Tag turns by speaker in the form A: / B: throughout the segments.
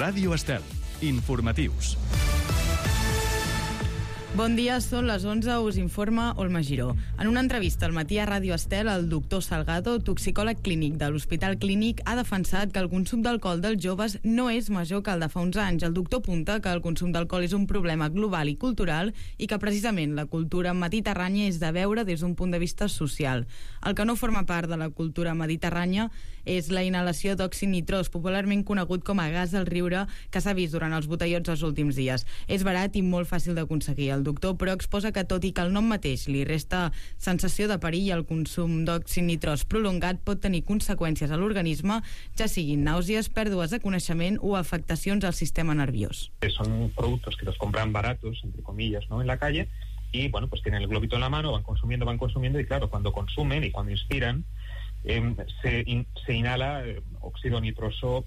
A: Ràdio Estel. Informatius.
B: Bon dia, són les 11, us informa Olma Giró. En una entrevista al matí a Ràdio Estel, el doctor Salgado, toxicòleg clínic de l'Hospital Clínic, ha defensat que el consum d'alcohol dels joves no és major que el de fa uns anys. El doctor apunta que el consum d'alcohol és un problema global i cultural i que precisament la cultura mediterrània és de veure des d'un punt de vista social. El que no forma part de la cultura mediterrània és la inhalació d'òxid nitrós, popularment conegut com a gas del riure, que s'ha vist durant els botellots els últims dies. És barat i molt fàcil d'aconseguir. El doctor, però, exposa que tot i que el nom mateix li resta sensació de perill, el consum d'òxid nitrós prolongat pot tenir conseqüències a l'organisme, ja siguin nàusees, pèrdues de coneixement o afectacions al sistema nerviós.
C: Son productos que los compran baratos, entre comillas, ¿no?, en la calle, y bueno, pues tienen el globito en la mano, van consumiendo, y claro, cuando consumen y cuando inspiran, se inhala óxido nitroso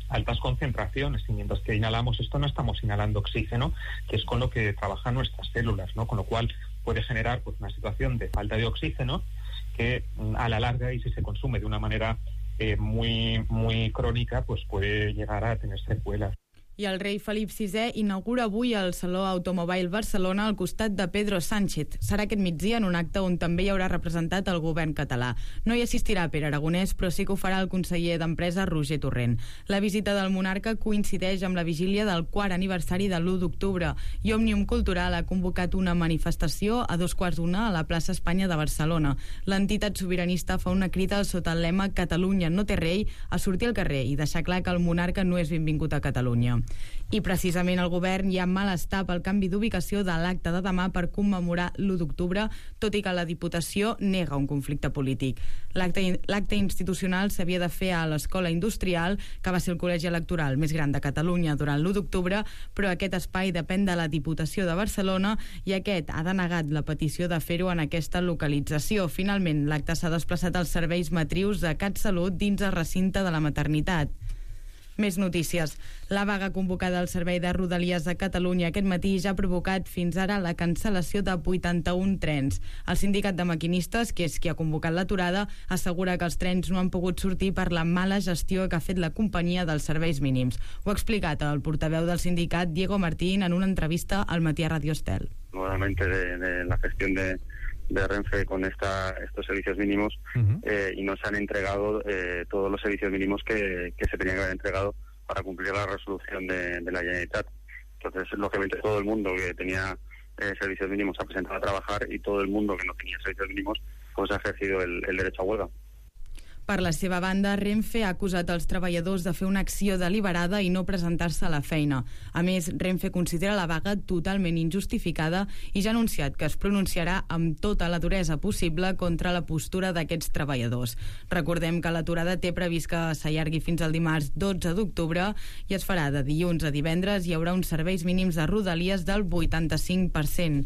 C: altas concentraciones, y mientras que inhalamos esto no estamos inhalando oxígeno, que es con lo que trabajan nuestras células, ¿no? Con lo cual puede generar pues una situación de falta de oxígeno que a la larga, y si se consume de una manera muy crónica, pues puede llegar a tener secuelas.
B: I el rei Felip VI inaugura avui el Saló Automobile Barcelona al costat de Pedro Sánchez. Serà aquest migdia en un acte on també hi haurà representat el govern català. No hi assistirà Pere Aragonès, però sí que ho farà el conseller d'Empresa Roger Torrent. La visita del monarca coincideix amb la vigília del 4è aniversari de l'1 d'octubre i Òmnium Cultural ha convocat una manifestació a 2:15 a la plaça Espanya de Barcelona. L'entitat sobiranista fa una crida sota el lema Catalunya no té rei a sortir al carrer i deixar clar que el monarca no és benvingut a Catalunya. I precisament el govern hi ha malestar pel canvi d'ubicació de l'acte de demà per commemorar l'1 d'octubre, tot i que la Diputació nega un conflicte polític. L'acte institucional s'havia de fer a l'Escola Industrial, que va ser el col·legi electoral més gran de Catalunya durant l'1 d'octubre, però aquest espai depèn de la Diputació de Barcelona i aquest ha denegat la petició de fer-ho en aquesta localització. Finalment, l'acte s'ha desplaçat als serveis matrius de CatSalut dins el recinte de la maternitat. Més notícies. La vaga convocada al Servei de Rodalies de Catalunya aquest matí ja ha provocat fins ara la cancel·lació de 81 trens. El sindicat de maquinistes, que és qui ha convocat l'aturada, assegura que els trens no han pogut sortir per la mala gestió que ha fet la companyia dels serveis mínims. Ho ha explicat el portaveu del sindicat, Diego Martín, en una entrevista al matí a Radio Estel.
D: Nuevamente de la gestión de Renfe con estos servicios mínimos y no se han entregado todos los servicios mínimos que se tenían que haber entregado para cumplir la resolución de la Generalitat. Entonces, lógicamente, todo el mundo que tenía servicios mínimos se ha presentado a trabajar y todo el mundo que no tenía servicios mínimos pues ha ejercido el derecho a huelga.
B: Per la seva banda, Renfe ha acusat els treballadors de fer una acció deliberada i no presentar-se a la feina. A més, Renfe considera la vaga totalment injustificada i ja ha anunciat que es pronunciarà amb tota la duresa possible contra la postura d'aquests treballadors. Recordem que l'aturada té previst que s'allargui fins al dimarts 12 d'octubre i es farà de dilluns a divendres. Hi haurà uns serveis mínims de Rodalies del 85%.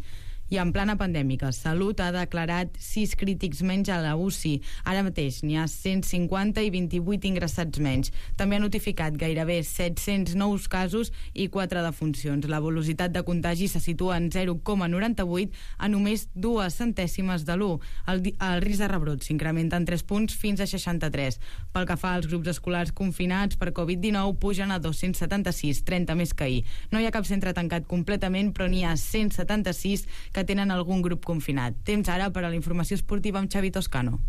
B: I en plana pandèmica, Salut ha declarat 6 crítics menys a la UCI. Ara mateix n'hi ha 150 i 28 ingressats menys. També ha notificat gairebé 700 nous casos i 4 defuncions. La velocitat de contagi se situa en 0,98 a només 2 centèsimes de l'1. El risc de rebrot s'incrementa en 3 punts fins a 63. Pel que fa als grups escolars confinats per Covid-19, pugen a 276, 30 més que ahir. No hi ha cap centre tancat completament, però n'hi ha 176 que tenen algun grup confinat. Temps ara per a la informació esportiva amb Xavi Toscano.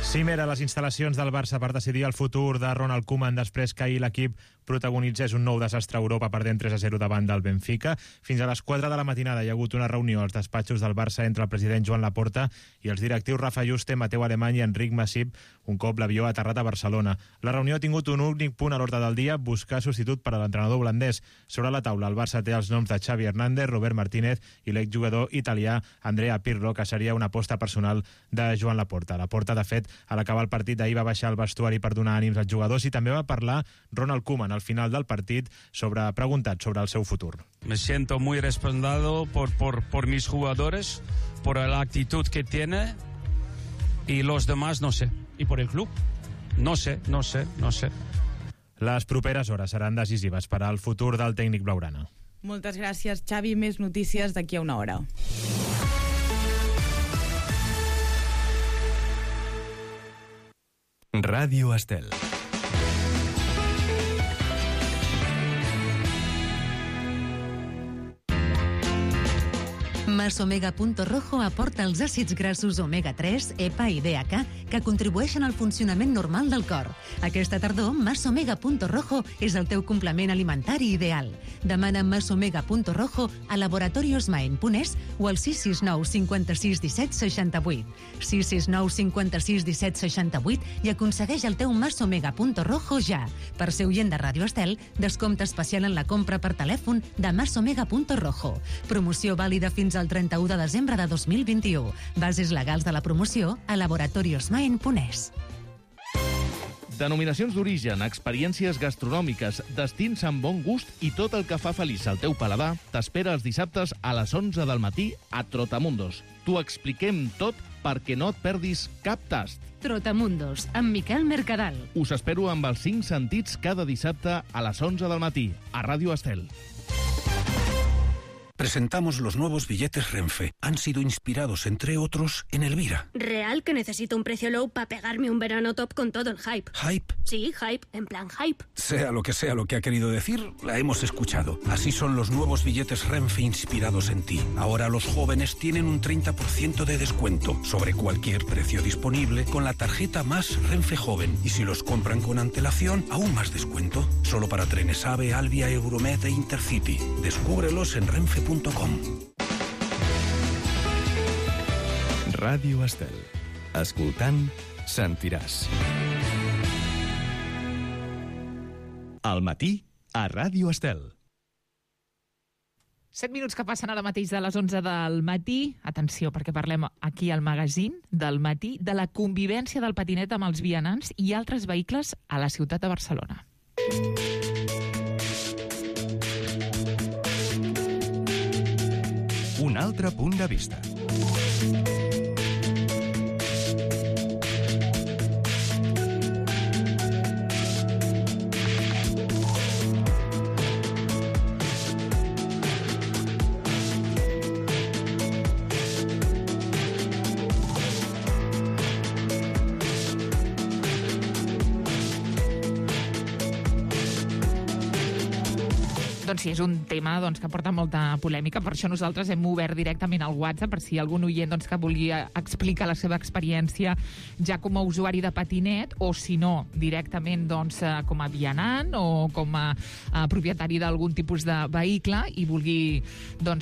E: Cimera a les instal·lacions del Barça per decidir el futur de Ronald Koeman després que ahir l'equip protagonitzés un nou desastre a Europa perdent 3-0 davant del Benfica. Fins a les 4 de la matinada hi ha hagut una reunió als despatxos del Barça entre el president Joan Laporta i els directius Rafa Juste, Mateu Alemany i Enric Masip un cop l'avió ha aterrat a Barcelona. La reunió ha tingut un únic punt a l'ordre del dia, buscar substitut per a l'entrenador holandès. Sobre la taula el Barça té els noms de Xavi Hernández, Robert Martínez i l'exjugador italià Andrea Pirlo, que seria una aposta personal de Joan Laporta. Laporta, de fet, a l'acabar el partit d'ahir va baixar al vestuari per donar ànims als jugadors i també va parlar Ronald Koeman al final del partit preguntat sobre el seu futur.
F: Me siento muy respaldado por mis jugadores, por la actitud que tiene y los demás no sé.
G: ¿Y por el club?
F: No sé.
E: Les properes hores seran decisives per al futur del tècnic blaugrana.
B: Moltes gràcies, Xavi. Més notícies d'aquí a una hora.
A: Ràdio Estel.
G: Masomega.rojo aporta els àcids grassos omega-3, EPA i DHA que contribueixen al funcionament normal del cor. Aquesta tardor, Masomega.rojo és el teu complement alimentari ideal. Demana Masomega.rojo a Laboratorios Maen Punès o al 669 56 17 68. 669 56 17 68 i aconsegueix el teu Masomega.rojo ja. Per ser oient de Ràdio Estel, descompte especial en la compra per telèfon de Masomega.rojo. Promoció vàlida fins al 31 de desembre de 2021. Bases legals de la promoció a Laboratorios Maen Punès.
H: Denominacions d'origen, experiències gastronòmiques, destins amb bon gust i tot el que fa feliç al teu paladar t'espera els dissabtes a les 11 del matí a Trotamundos. T'ho expliquem tot perquè no et perdis cap tast.
G: Trotamundos, amb Miquel Mercadal.
H: Us espero amb els 5 sentits cada dissabte a les 11 del matí a Ràdio Estel.
I: Presentamos los nuevos billetes Renfe. Han sido inspirados, entre otros, en Elvira.
J: Real que necesito un precio low para pegarme un verano top con todo el hype.
I: ¿Hype?
J: Sí, hype, en plan hype.
I: Sea lo que ha querido decir, la hemos escuchado. Así son los nuevos billetes Renfe inspirados en ti. Ahora los jóvenes tienen un 30% de descuento sobre cualquier precio disponible con la tarjeta Más Renfe Joven. Y si los compran con antelación, aún más descuento. Solo para trenes AVE, Alvia, Euromed e Intercity. Descúbrelos en renfe.com.
A: Ràdio Estel. Escoltant, sentiràs. Al matí, a Ràdio Estel.
K: 7 minuts que passen ara mateix de les 11 del matí. Atenció, perquè parlem aquí al magazín del matí de la convivència del patinet amb els vianants i altres vehicles a la ciutat de Barcelona.
A: Un altre punt de vista.
K: Doncs sí, és un tema que porta molta polèmica, per això nosaltres hem obert directament al WhatsApp per si algun oient que volia explicar la seva experiència ja com a usuari de patinet o si no, directament com a vianant o com a propietari d'algun tipus de vehicle i vulgui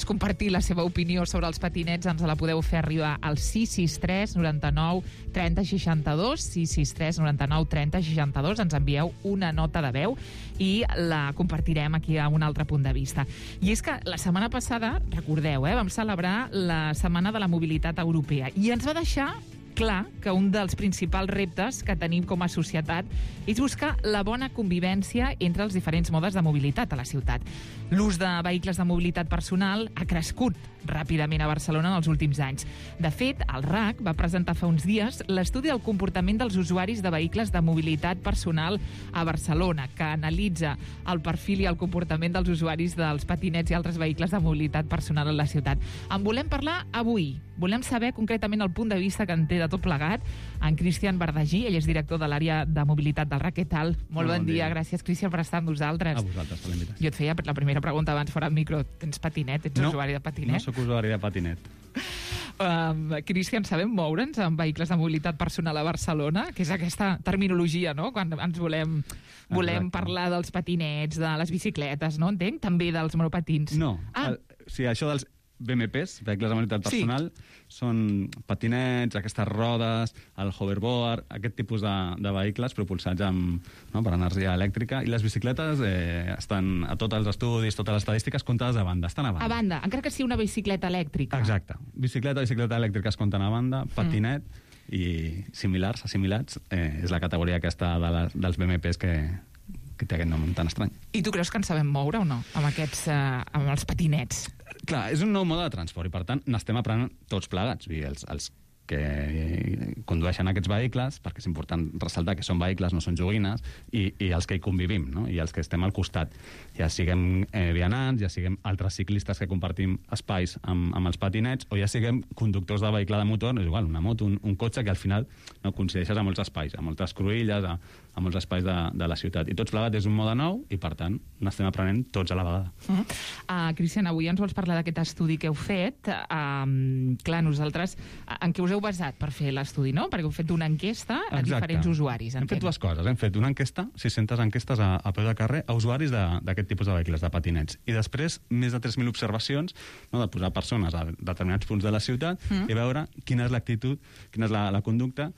K: compartir la seva opinió sobre els patinets, ens la podeu fer arribar al 663 99 30 62, 663 99 30 62, ens envieu una nota de veu i la compartirem aquí a un altre punt de vista. I és que la setmana passada, recordeu, vam celebrar la Setmana de la Mobilitat Europea i ens va deixar clar que un dels principals reptes que tenim com a societat és buscar la bona convivència entre els diferents modes de mobilitat a la ciutat. L'ús de vehicles de mobilitat personal ha crescut ràpidament a Barcelona en els últims anys. De fet, el RAC va presentar fa uns dies l'estudi del comportament dels usuaris de vehicles de mobilitat personal a Barcelona, que analitza el perfil i el comportament dels usuaris dels patinets i altres vehicles de mobilitat personal a la ciutat. En volem parlar avui. Volem saber concretament el punt de vista que en té de tot plegat en Cristian Bardagí, ell és director de l'àrea de mobilitat del RAC. Què tal? Molt bon dia. Gràcies, Cristian, per estar amb nosaltres.
L: A vosaltres, per l'invitació.
K: Jo et feia la primera pregunta abans fora del micro. Tens patinet? Ets usuari de patinet?
L: No sóc usuari de patinet.
K: Cristian, sabem moure'ns amb vehicles de mobilitat personal a Barcelona? Que és aquesta terminologia, no?, quan ens volem parlar dels patinets, de les bicicletes, no? Entenc? També dels monopatins.
L: No. Sí, això dels BMPs, vehicles de mobilitat personal, són patinets, aquestes rodes, el hoverboard, aquest tipus de vehicles propulsats per energia elèctrica, i les bicicletes estan a tots els estudis, totes les estadístiques comptades a banda, estan a banda.
K: A banda, encara que sigui una bicicleta elèctrica.
L: Exacte. Bicicleta elèctrica es compten a banda, patinet i similars, assimilats, és la categoria aquesta dels BMPs que té aquest nom tan estrany.
K: I tu creus que en sabem moure o no, amb els patinets?
L: Clar, és un nou mode de transport i, per tant, n'estem aprenent tots plegats. Els que condueixen aquests vehicles, perquè és important ressaltar que són vehicles, no són joguines, i els que hi convivim, no? I els que estem al costat. Ja siguem vianants, ja siguem altres ciclistes que compartim espais amb els patinets, o ja siguem conductors de vehicle de motor, és igual, una moto, un cotxe, que al final coincideixes a molts espais, a moltes cruïlles, a molts espais de la ciutat. I tots plegats és un mode nou i, per tant, n'estem aprenent tots a la vegada.
K: Cristian, avui ens vols parlar d'aquest estudi que heu fet. Clar, nosaltres, en què us heu basat per fer l'estudi, no? Perquè heu fet una enquesta a diferents usuaris.
L: Hem fet dues coses. Hem fet una enquesta, 600 enquestes a peu de carrer, a usuaris d'aquest tipus de vehicles, de patinets. I després, més de 3.000 observacions, no, de posar persones a determinats punts de la ciutat i veure quina és l'actitud, quina és la conducta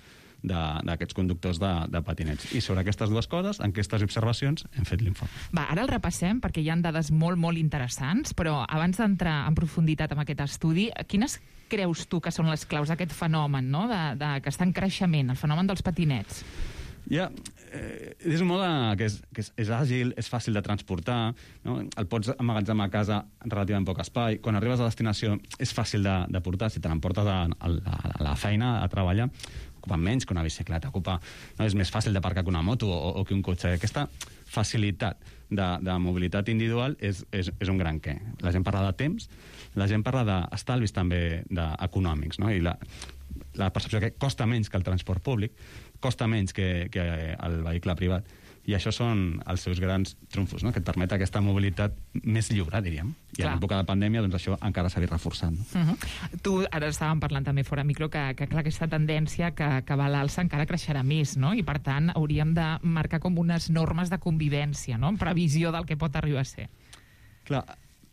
L: d'aquests conductors de patinets. I sobre aquestes dues coses, enquestes i observacions, hem fet l'informe.
K: Va, ara el repassem, perquè hi ha dades molt, molt interessants, però abans d'entrar en profunditat amb aquest estudi, quines creus tu que són les claus d'aquest fenomen, no?, que està en creixement, el fenomen dels patinets?
L: És un mode que és àgil, és fàcil de transportar, no? El pots emmagatzemar a casa en relativament poc espai. Quan arribes a destinació és fàcil de portar. Si te l'emportes a la feina, a treballar, ocupa menys que una bicicleta. És més fàcil d'aparcar que una moto o que un cotxe. Aquesta facilitat de mobilitat individual és un gran què. La gent parla de temps, la gent parla d'estalvis també econòmics, no? I la percepció que costa menys que el transport públic, costa menys que el vehicle privat. I això són els seus grans trumfos, no?, que et permet aquesta mobilitat més lliure, diríem. I en època de pandèmia, doncs això encara s'ha vist reforçant.
K: Tu, ara estàvem parlant també fora micro, que clar, aquesta tendència que va a l'alça encara creixerà més, no? I per tant hauríem de marcar com unes normes de convivència, no?, en previsió del que pot arribar a ser.
L: Clar,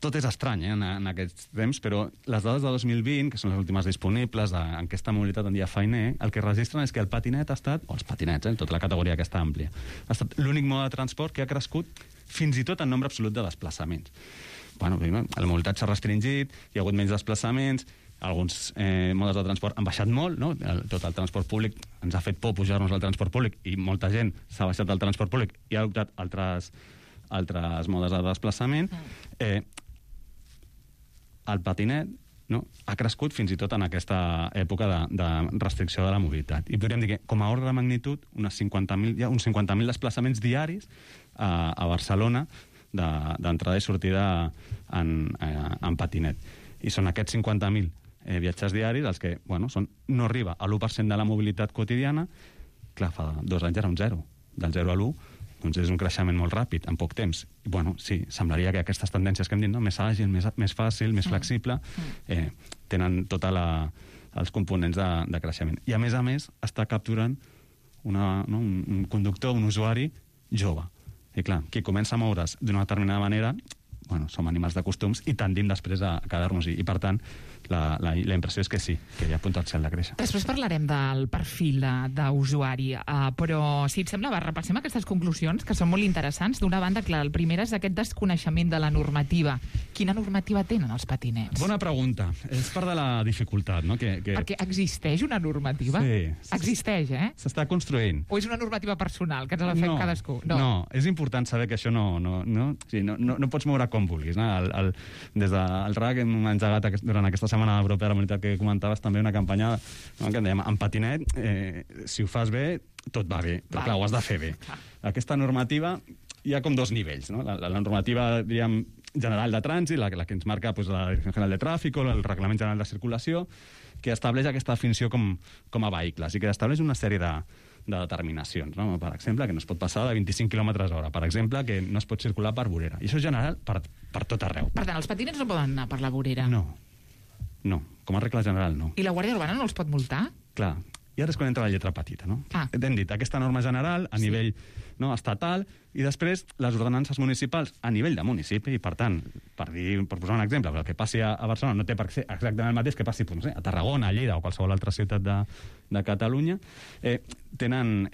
L: tot és estrany en aquests temps, però les dades de 2020, que són les últimes disponibles d'enquesta mobilitat en dia feiner, el que registren és que el patinet ha estat, o els patinets, tota la categoria aquesta àmplia, ha estat l'únic mode de transport que ha crescut fins i tot en nombre absolut de desplaçaments. Bueno, la mobilitat s'ha restringit, hi ha hagut menys desplaçaments, alguns modes de transport han baixat molt, no? Tot el transport públic ens ha fet por pujar-nos al transport públic i molta gent s'ha baixat al transport públic i ha adoptat altres modes de desplaçament. El patinet, no?, ha crescut fins i tot en aquesta època de restricció de la mobilitat. I podríem dir que, com a ordre de magnitud, hi ha uns 50.000 desplaçaments diaris a Barcelona d'entrada i sortida en patinet. I són aquests 50.000 viatgers diaris els que, no arriba a l'1% de la mobilitat quotidiana. Clar, fa 2 anys era un 0. Del 0 a l'1, doncs és un creixement molt ràpid, en poc temps. I, sí, semblaria que aquestes tendències que hem dit, no?, més àgil, més fàcil, més flexible, tenen tots els components de creixement. I, a més, està capturant un conductor, un usuari jove. I, clar, qui comença a moure's d'una determinada manera, som animals de costums i tendim després a quedar-nos-hi. I, per tant, la impressió és que sí, que hi ha potencial de créixer.
K: Després parlarem del perfil d'usuari, però, si et sembla, repassem aquestes conclusions, que són molt interessants. D'una banda, clar, el primer és aquest desconeixement de la normativa. Quina normativa tenen els patinets?
L: Bona pregunta. És part de la dificultat, no?
K: Perquè existeix una normativa?
L: Sí.
K: Existeix,
L: S'està construint.
K: O és una normativa personal, que ens la fem cadascú?
L: No, és important saber que això no pots moure com vulguis. Des del RAC hem engegat durant aquesta setmana europea de la mobilitat que comentaves també una campanya que en dèiem, en patinet, si ho fas bé, tot va bé, però clar, ho has de fer bé. Aquesta normativa hi ha com 2 nivells, no? La normativa, diríem, general de trànsit, la que ens marca la Direcció General de Tràfic, el Reglament General de Circulació, que estableix aquesta definició com a vehicles i que estableix una sèrie de determinacions, no? Per exemple, que no es pot passar de 25 km/h, per exemple, que no es pot circular per vorera. I això és general per tot arreu.
K: Per tant, els patinets no poden anar per la vorera?
L: No, com a regla general no.
K: I la Guàrdia Urbana no els pot multar?
L: Clar, i ara és quan entra la lletra petita, no? Hem dit, aquesta norma general a nivell estatal, i després les ordenances municipals a nivell de municipi, i per tant, per posar un exemple, el que passi a Barcelona no té per ser exactament el mateix que passi a Tarragona, a Lleida o qualsevol altra ciutat de Catalunya, tenen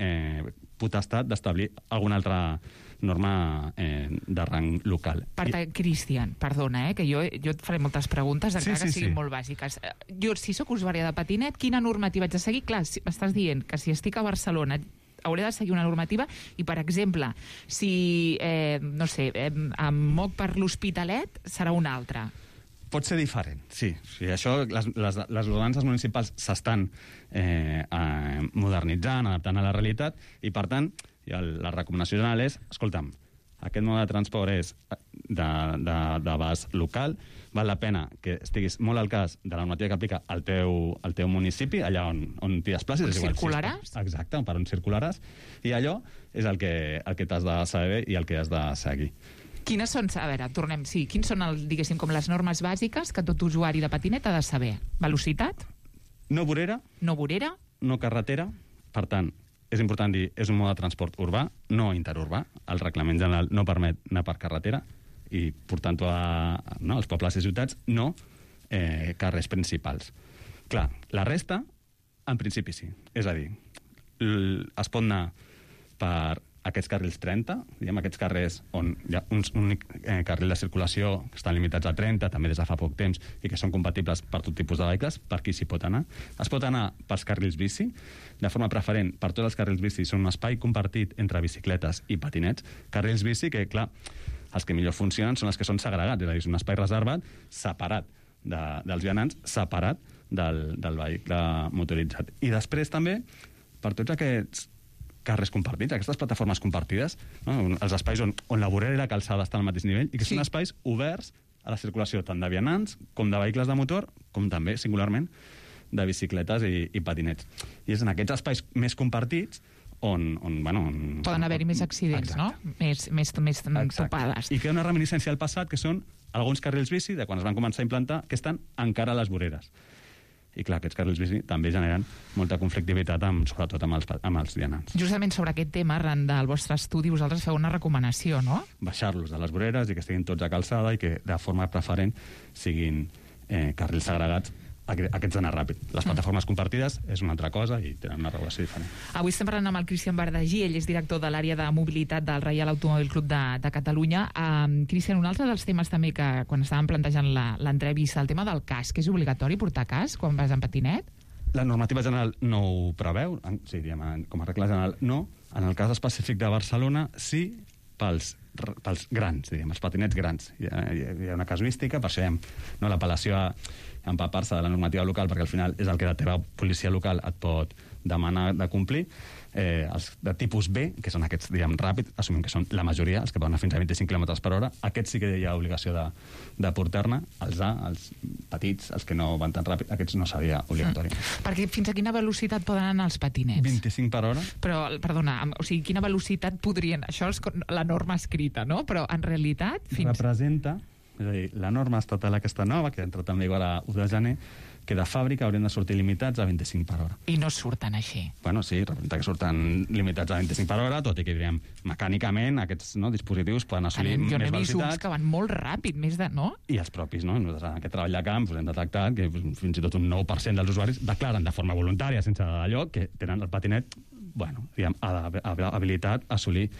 L: potestat d'establir alguna altra norma de rang local.
K: Per tant, Cristian, perdona, que jo et faré moltes preguntes, encara que siguin molt bàsiques. Jo, si sóc usuària de patinet, quina normativa haig de seguir? Clar, m'estàs dient que si estic a Barcelona hauré de seguir una normativa i, per exemple, si, em moc per l'Hospitalet, serà una altra.
L: Pot ser diferent, sí. Això, les ordenances municipals s'estan modernitzant, adaptant a la realitat, i per tant, la recomanació general és, escolta'm, aquest mode de transport és d'abast local, val la pena que estiguis molt al cas de la normativa que aplica al teu municipi, allà on t'hi desplacis.
K: On circularàs?
L: Exacte, per on circularàs, i allò és el que t'has de saber i el que has de seguir.
K: Quines són, a veure, tornem, sí, quins són, diguéssim, com les normes bàsiques que tot usuari de patinet ha de saber? Velocitat?
L: No vorera.
K: No vorera.
L: No carretera. Per tant, és important dir, és un mode de transport urbà, no interurbà. El reglament general no permet anar per carretera i portant-ho als pobles i ciutats, no carrers principals. Clar, la resta, en principi sí. És a dir, es pot anar per aquests carrils 30, diguem, aquests carrers on hi ha un únic carril de circulació que estan limitats a 30, també des de fa poc temps, i que són compatibles per tot tipus de vehicles, per qui s'hi pot anar. Es pot anar pels carrils bici, de forma preferent per tots els carrils bici, són un espai compartit entre bicicletes i patinets. Carrils bici que, clar, els que millor funcionen són els que són segregats, és a dir, és un espai reservat, separat dels vianants, separat del vehicle motoritzat. I després també, per tots aquests carrers compartits, aquestes plataformes compartides, no? Els espais on la vorera i la calçada estan al mateix nivell, i que són espais oberts a la circulació tant de vianants com de vehicles de motor, com també, singularment, de bicicletes i patinets. I és en aquests espais més compartits on
K: poden haver-hi més accidents, exacte, no? Més topades.
L: I queda una reminiscència al passat, que són alguns carrils bici, de quan es van començar a implantar, que estan encara a les voreres. I clar, aquests carrils bici també generen molta conflictivitat, sobretot amb els vianants.
K: Justament sobre aquest tema, arran del vostre estudi, vosaltres feu una recomanació, no?
L: Baixar-los de les voreres i que estiguin tots a calçada i que de forma preferent siguin carrils segregats, aquests d'anar ràpid. Les plataformes compartides és una altra cosa i tenen una regulació diferent.
K: Avui estem parlant amb el Cristian Bardagí, ell és director de l'àrea de mobilitat del Reial Automòbil Club de Catalunya. Cristian, un altre dels temes també que quan estàvem plantejant l'entrevista, el tema del casc, és obligatori portar casc quan vas en patinet?
L: La normativa general no ho preveu, sí, diguem, com a regla general no. En el cas específic de Barcelona, sí, pels grans, diguem, els patinets grans. Hi ha una casuística, per això hi ha l'apel·lació a empapar-se de la normativa local, perquè al final és el que la teva policia local et pot demanar de complir. Els de tipus B, que són aquests, diguem, ràpids, assumim que són la majoria, els que poden anar fins a 25 km per hora, aquests sí que hi ha obligació de portar-ne. Els A, els petits, els que no van tan ràpid, aquests no seria obligatori.
K: Perquè fins a quina velocitat poden anar els patinets?
L: 25 per hora.
K: Però, perdona, o sigui, quina velocitat podrien... Això és la norma escrita, no? Però en realitat...
L: Representa, és a dir, la norma estatal aquesta nova, que ha entrat en vigor a 1 de gener, que de fàbrica haurien de sortir limitats a 25 per hora.
K: I no surten així?
L: Bueno, sí, representa que surten limitats a 25 per hora, tot i que, diríem, mecànicament aquests dispositius poden assolir més velocitat.
K: Jo n'he vist uns que van molt ràpid, més de... no?
L: I els propis, no? Nosaltres en aquest treball de camp hem detectat que fins i tot un 9% dels usuaris declaren de forma voluntària, sense allò, que tenen el patinet, bueno, diguem, habilitat a assolir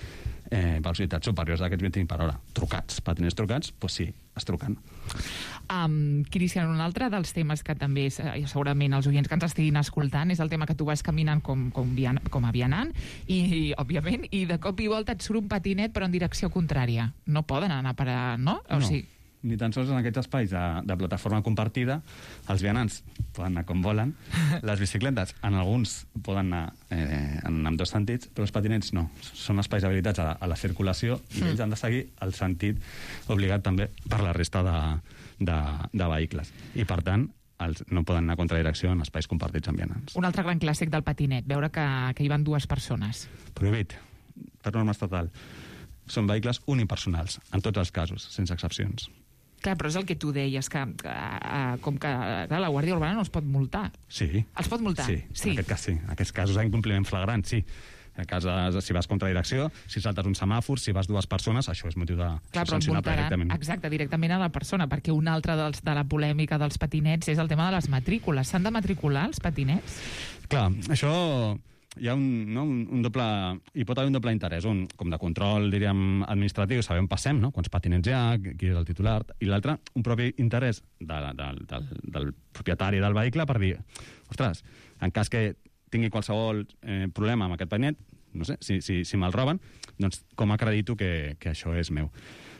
L: velocitats superiors a aquests 25 per hora. Trucats, patinets trucats, doncs sí, es truquen.
K: Cristian, un altre dels temes que també segurament els oients que ens estiguin escoltant és el tema que tu vas caminant com a vianant i, òbviament, i de cop i volta et surt un patinet però en direcció contrària. No poden anar per a... no? O sigui,
L: ni tan sols en aquests espais de plataforma compartida els vianants poden anar com volen, les bicicletes en alguns poden anar en ambdós sentits, però els patinets no. Són espais habilitats a la circulació i ells han de seguir el sentit obligat també per la resta de vehicles. I per tant, no poden anar a contradirecció en espais compartits amb vianants.
K: Un altre gran clàssic del patinet, veure que hi van dues persones.
L: Prohibit, per norma estatal. Són vehicles unipersonals, en tots els casos, sense excepcions.
K: Clar, però és el que tu deies, que com que la Guàrdia Urbana no els pot multar.
L: Sí.
K: Els pot multar?
L: Sí, en aquest cas sí. En aquests casos d'incompliment flagrant, sí. En cas si vas contra direcció, si saltes un semàfor, si vas dues persones, això és motiu de sancionar directament.
K: Exacte, directament a la persona, perquè una altra de la polèmica dels patinets és el tema de les matrícules. S'han de matricular els patinets?
L: Clar, això... hi ha un doble... Hi pot haver un doble interès, un com de control, diríem, administratiu, saber on passem, no? Quants patinets hi ha, qui és el titular, i l'altre, un propi interès del propietari del vehicle per dir, ostres, en cas que tingui qualsevol problema amb aquest patinet, no sé, si me'l roben, doncs com acredito que això és meu?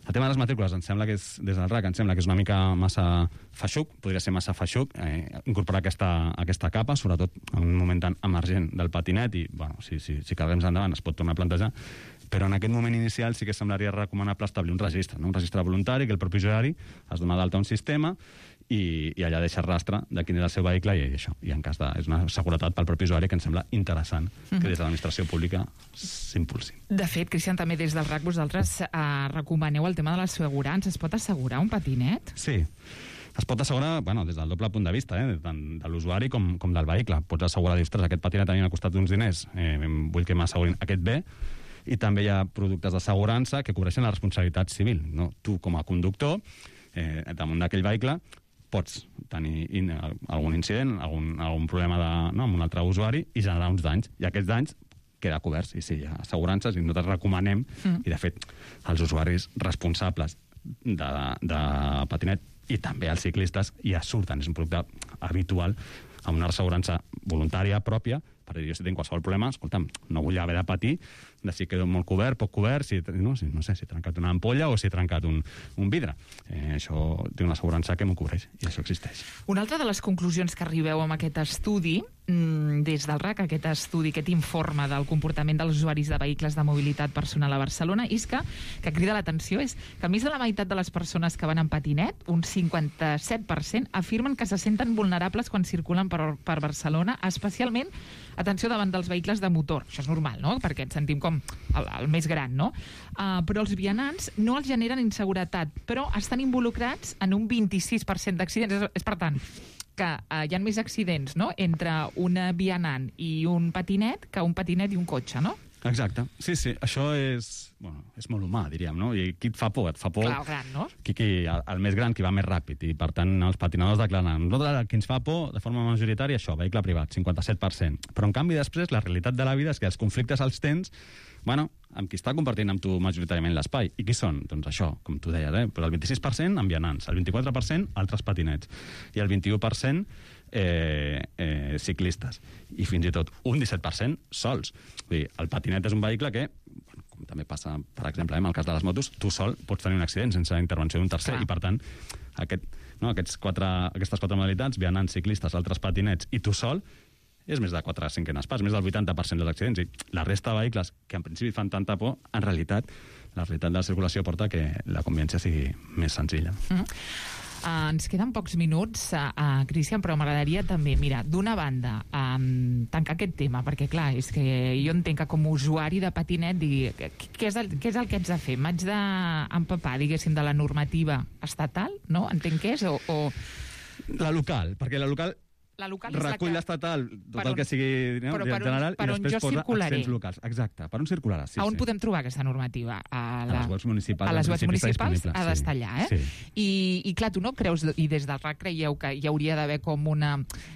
L: El tema de les matrícules, ens sembla que és, des del RAC, ens sembla que és una mica massa feixuc, podria ser massa feixuc, incorporar aquesta capa, sobretot en un moment tan emergent del patinet, i bueno, si carreguem endavant es pot tornar a plantejar, però en aquest moment inicial sí que semblaria recomanable establir un registre, no? Un registre voluntari, que el propi usuari es dona d'alta a un sistema i allà deixa rastre de quin és el seu vehicle i això. I en cas de... és una seguretat pel propi usuari que ens sembla interessant que des de l'administració pública s'impulsi.
K: De fet, Cristian, també des del RAC vosaltres recomaneu el tema de l'assegurança. Es pot assegurar un patinet?
L: Sí. Es pot assegurar, bueno, des del doble punt de vista, tant de l'usuari com del vehicle. Pots assegurar, dius, aquest patinet a mi m'ha costat uns diners, vull que m'assegurin aquest bé, i també hi ha productes d'assegurança que cobreixen la responsabilitat civil. No? Tu, com a conductor, damunt d'aquell vehicle, pots tenir algun incident, algun problema amb un altre usuari i generar uns danys. I aquests danys queda coberts. I sí, hi ha assegurances i nosaltres recomanem, i de fet els usuaris responsables de patinet i també els ciclistes ja surten. És un producte habitual amb una assegurança voluntària pròpia, perquè jo si tinc qualsevol problema, escolta'm, no vull haver de patir de si quedo molt cobert, poc cobert, si he trencat una ampolla o si he trencat un vidre. Això té una assegurança que m'ho cobreix, i això existeix.
K: Una altra de les conclusions que arribeu amb aquest estudi, des del RAC, aquest informe del comportament dels usuaris de vehicles de mobilitat personal a Barcelona, és que crida l'atenció, és que més de la meitat de les persones que van en patinet, un 57%, afirmen que se senten vulnerables quan circulen per Barcelona, especialment, atenció, davant dels vehicles de motor. Això és normal, no?, perquè ens sentim com el més gran, no? Però els vianants no els generen inseguretat, però estan involucrats en un 26% d'accidents. És per tant, que hi ha més accidents, no?, entre un vianant i un patinet que un patinet i un cotxe, no?
L: Exacte. Sí, això és molt humà, diríem, no? I qui et fa por? Et fa por...
K: Clar, el gran, no?
L: El més gran, qui va més ràpid, i per tant els patinadors declaren. Nosaltres, qui ens fa por, de forma majoritària, això, vehicle privat, 57%. Però en canvi després, la realitat de la vida és que els conflictes els tens, amb qui està compartint amb tu majoritàriament l'espai. I qui són? Doncs això, com tu deies, però el 26% amb vianants, el 24% altres patinets, i el 21% ciclistes, i fins i tot un 17% sols. Vull dir, el patinet és un vehicle que, com també passa, per exemple, en el cas de les motos, tu sol pots tenir un accident sense la intervenció d'un tercer. Clar. I per tant, aquestes quatre modalitats, vianants, ciclistes, altres patinets i tu sol, és més de 4/5 parts, més del 80% dels accidents. I la resta de vehicles, que en principi fan tanta por, en realitat, la realitat de la circulació porta que la convivència sigui més senzilla.
K: Ens queden pocs minuts, Cristian, però m'agradaria també, mira, d'una banda, tancar aquest tema, perquè clar, és que jo entenc que com a usuari de patinet digui, què és el que haig de fer? M'haig d'empapar, diguéssim, de la normativa estatal, no? Entenc que és, o...
L: La local, perquè la local recull l'estatal, tot el que sigui general, i després posa accents locals. Exacte, per on circularà.
K: On podem trobar aquesta normativa?
L: A les webs municipals.
K: A les webs municipals ha d'estar allà, eh? I clar, tu no creus, i des del RAC creieu que hi hauria d'haver com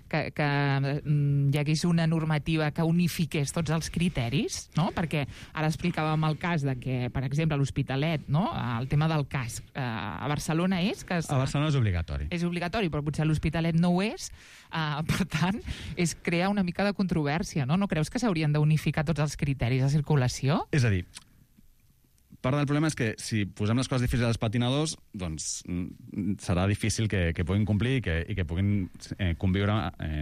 K: que hi hagués una normativa que unifiqués tots els criteris, no? Perquè ara explicàvem el cas de que, per exemple, a l'Hospitalet, no?, el tema del casc. A Barcelona és que...
L: A Barcelona és obligatori.
K: És obligatori, però potser a l'Hospitalet no ho és. Per tant, és crear una mica de controvèrsia, no? No creus que s'haurien d'unificar tots els criteris de circulació?
L: És a dir, part del problema és que si posem les coses difícils als patinadors, doncs serà difícil que puguin complir i que puguin conviure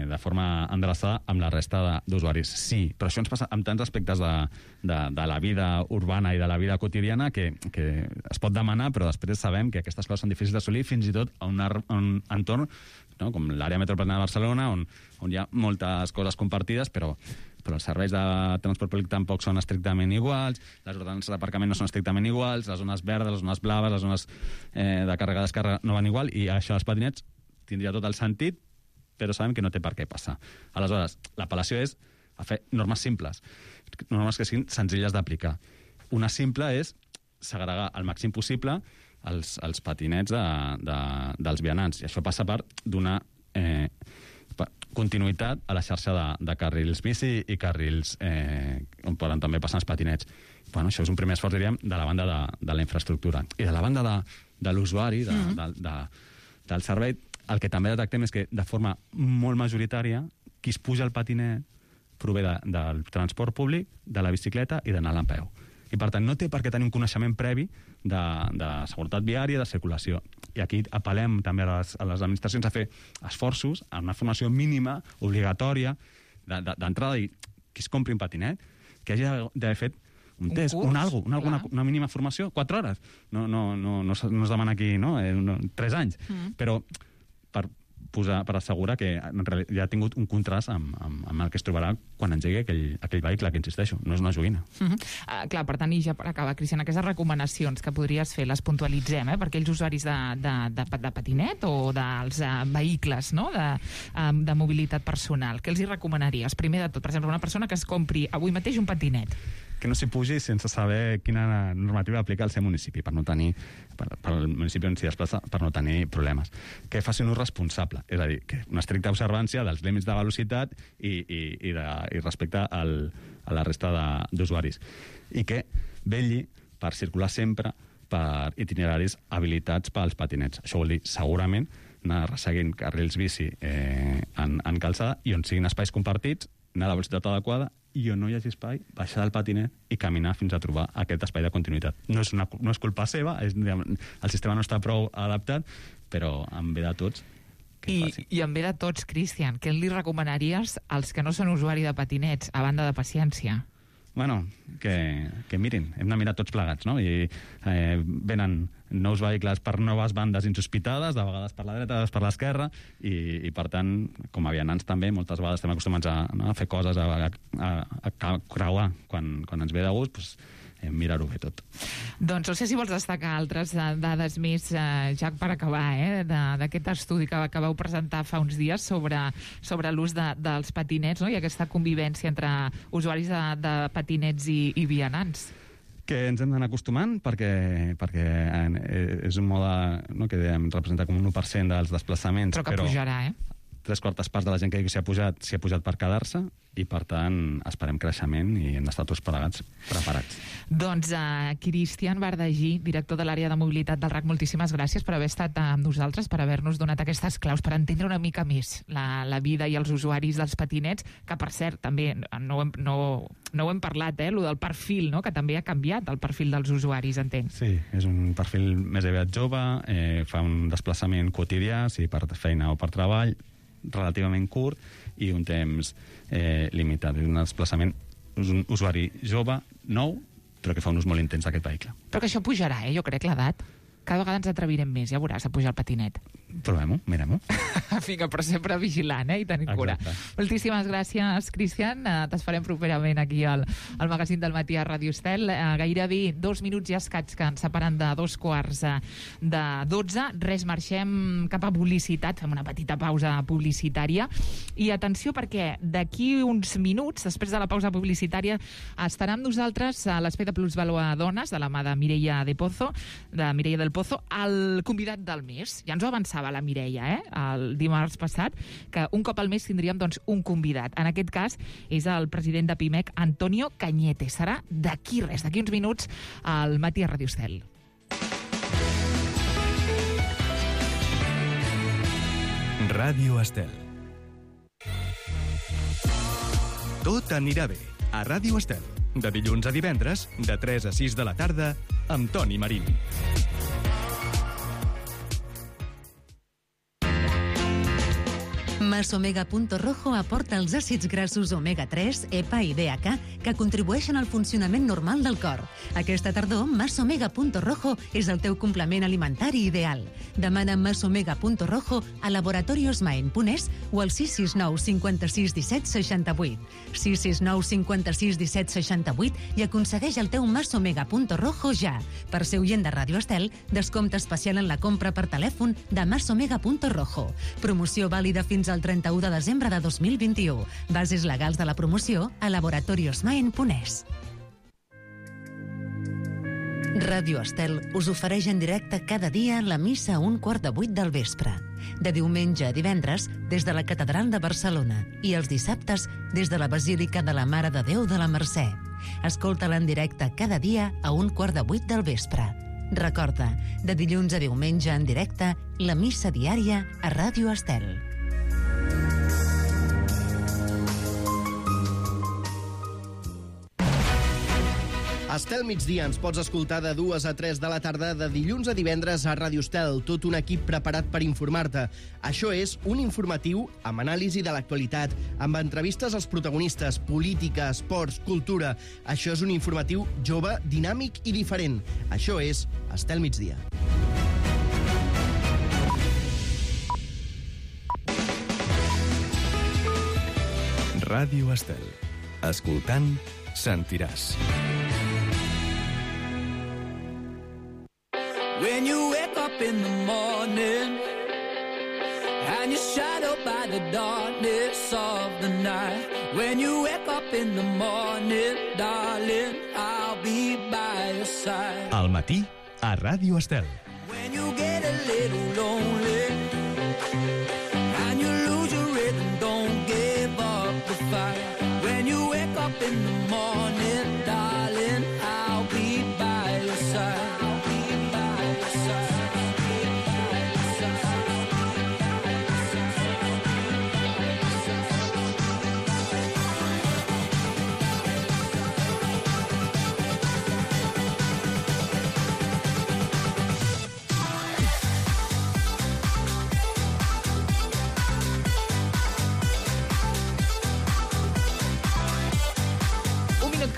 L: de forma endreçada amb la resta d'usuaris. Sí, però això ens passa amb tants aspectes de la vida urbana i de la vida quotidiana que es pot demanar, però després sabem que aquestes coses són difícils d'assolir, fins i tot a un entorn, no?, com l'àrea metropolitana de Barcelona, on hi ha moltes coses compartides, però els serveis de transport públic tampoc són estrictament iguals, les ordenances d'aparcament no són estrictament iguals, les zones verdes, les zones blaves, les zones de càrrega i descàrrega no van igual, i això als patinets tindria tot el sentit, però sabem que no té per què passar. Aleshores, l'apel·lació és a fer normes simples, normes que siguin senzilles d'aplicar. Una simple és segregar al màxim possible els patinets dels vianants, i això passa per donar continuïtat a la xarxa de carrils bici i carrils on poden també passar els patinets. Això és un primer esforç, diríem, de la banda de la infraestructura. I de la banda de l'usuari, del servei, el que també detectem és que de forma molt majoritària qui es puja al patinet prové del transport públic, de la bicicleta i d'anar a peu. I, per tant, no té per què tenir un coneixement previ de seguretat viària, de circulació. I aquí apel·lem també a les administracions a fer esforços, a una formació mínima, obligatòria, d'entrada, i qui es compri un patinet, que hagi d'haver fet un test, una mínima formació, 4 hores. No es demana aquí 3 anys, però per assegurar que en realitat ja ha tingut un contrast amb el que es trobarà quan engegui aquell vehicle, que insisteixo, no és una joguina.
K: Clar, per tant, i ja per acabar, Cristian, aquestes recomanacions que podries fer les puntualitzem, per aquells usuaris de patinet o dels vehicles de mobilitat personal. Què els hi recomanaries? Primer de tot, per exemple, una persona que es compri avui mateix un patinet.
L: Que no s'hi pugi sense saber quina normativa aplica al seu municipi, per no tenir, pel municipi on s'hi desplaça, per no tenir problemes. Que faci un ús responsable, és a dir, que una estricta observància dels límits de velocitat i respecte a la resta d'usuaris. I que vetlli per circular sempre per itineraris habilitats pels patinets. Això vol dir, segurament, anar resseguint carrils bici en calçada i on siguin espais compartits, anar a la velocitat adequada, i on no hi hagi espai, baixar del patinet i caminar fins a trobar aquest espai de continuïtat. No és culpa seva, el sistema no està prou adaptat, però en bé de tots que faci.
K: I en bé de tots, Cristian, què li recomanaries als que no són usuari de patinets, a banda de paciència?
L: Bueno, que mirin, hem de mirar tots plegats, no? I venen nous vehicles per noves bandes insospitades, de vegades per la dreta, de vegades per l'esquerra, i per tant, com a vianants també, moltes vegades estem acostumats a fer coses, a creuar quan ens ve de gust, doncs mirar-ho bé tot.
K: Doncs no sé si vols destacar altres dades més, ja per acabar, d'aquest estudi que vau presentar fa uns dies sobre l'ús dels patinets, i aquesta convivència entre usuaris de patinets i vianants.
L: Que ens hem d'anar acostumant perquè és un mode que representa com un 1% dels desplaçaments.
K: Però que pujarà,
L: 3/4 parts de la gent que s'hi ha pujat per quedar-se, i per tant esperem creixement i hem d'estar tots preparats.
K: Doncs Cristian Bardagí, director de l'àrea de mobilitat del RAC, moltíssimes gràcies per haver estat amb nosaltres, per haver-nos donat aquestes claus per entendre una mica més la vida i els usuaris dels patinets, que per cert també no ho hem parlat, lo del perfil, que també ha canviat el perfil dels usuaris, entenc.
L: Sí, és un perfil més aviat jove, fa un desplaçament quotidià, sigui per feina o per treball, relativament curt i un temps limitat. És un desplaçament, és un usuari jove, nou, però que fa un ús molt intens d'aquest vehicle.
K: Però que això pujarà, jo crec, l'edat. Cada vegada ens atrevirem més, ja veuràs, a pujar el patinet.
L: Provem-ho, mirem-ho.
K: Vinga, però sempre vigilant, i tenint cura. Moltíssimes gràcies, Cristian. T'esperem properament aquí al magazín del matí a Ràdio Estel. Gairebé 2 minuts i escaig que ens separen de 11:45. Res, marxem cap a publicitat, fem una petita pausa publicitària. I atenció, perquè d'aquí uns minuts, després de la pausa publicitària, estarà amb nosaltres a l'Espai de Plusvalua Dones, de la mà de Mireia del Pozo, el convidat del mes. Ja ens ho avançava la Mireia, el dimarts passat, que un cop al mes tindríem un convidat. En aquest cas és el president de PIMEC, Antonio Cañete. Serà d'aquí uns minuts al matí a Ràdio Estel.
A: Ràdio Estel. Tot anirà bé a Ràdio Estel. De dilluns a divendres, de 3 a 6 de la tarda, amb Toni Marín.
G: Masomega.rojo aporta els àcids grassos omega-3, EPA i DHA que contribueixen al funcionament normal del cor. Aquesta tardor, Masomega.rojo és el teu complement alimentari ideal. Demana Masomega.rojo a Laboratorios Maen Punès o al 669 56 17 68. 669 56 17 68 i aconsegueix el teu Masomega.rojo ja. Per ser oient de Ràdio Estel, descompte especial en la compra per telèfon de Masomega.rojo. Promoció vàlida fins al 31 de desembre de 2021. Bases legals de la promoció a Laboratorios Maen Punès. Ràdio Estel us ofereix en directe cada dia la missa a 7:15 del vespre. De diumenge a divendres, des de la Catedral de Barcelona, i els dissabtes, des de la Basílica de la Mare de Déu de la Mercè. Escolta-la en directe cada dia a 7:15 del vespre. Recorda, de dilluns a diumenge en directe, la missa diària a Ràdio Estel.
M: Estel Migdia ens pots escoltar de 2 a 3 de la tarda de dilluns a divendres a Ràdio Estel, tot un equip preparat per informar-te. Això és un informatiu amb anàlisi de l'actualitat, amb entrevistes als protagonistes, política, esports, cultura. Això és un informatiu jove, dinàmic i diferent. Això és Estel Migdia.
A: Ràdio Estel. Escoltant, sentiràs.
N: When you wake up in the morning and you're shadowed by the darkness of the night. When you wake up in the morning, darling, I'll be by your side.
A: Al matí, a Ràdio Estel.
N: When you get a little lonely and you lose your rhythm, don't give up the fight. When you wake up in the morning, darling, I'll be by your side.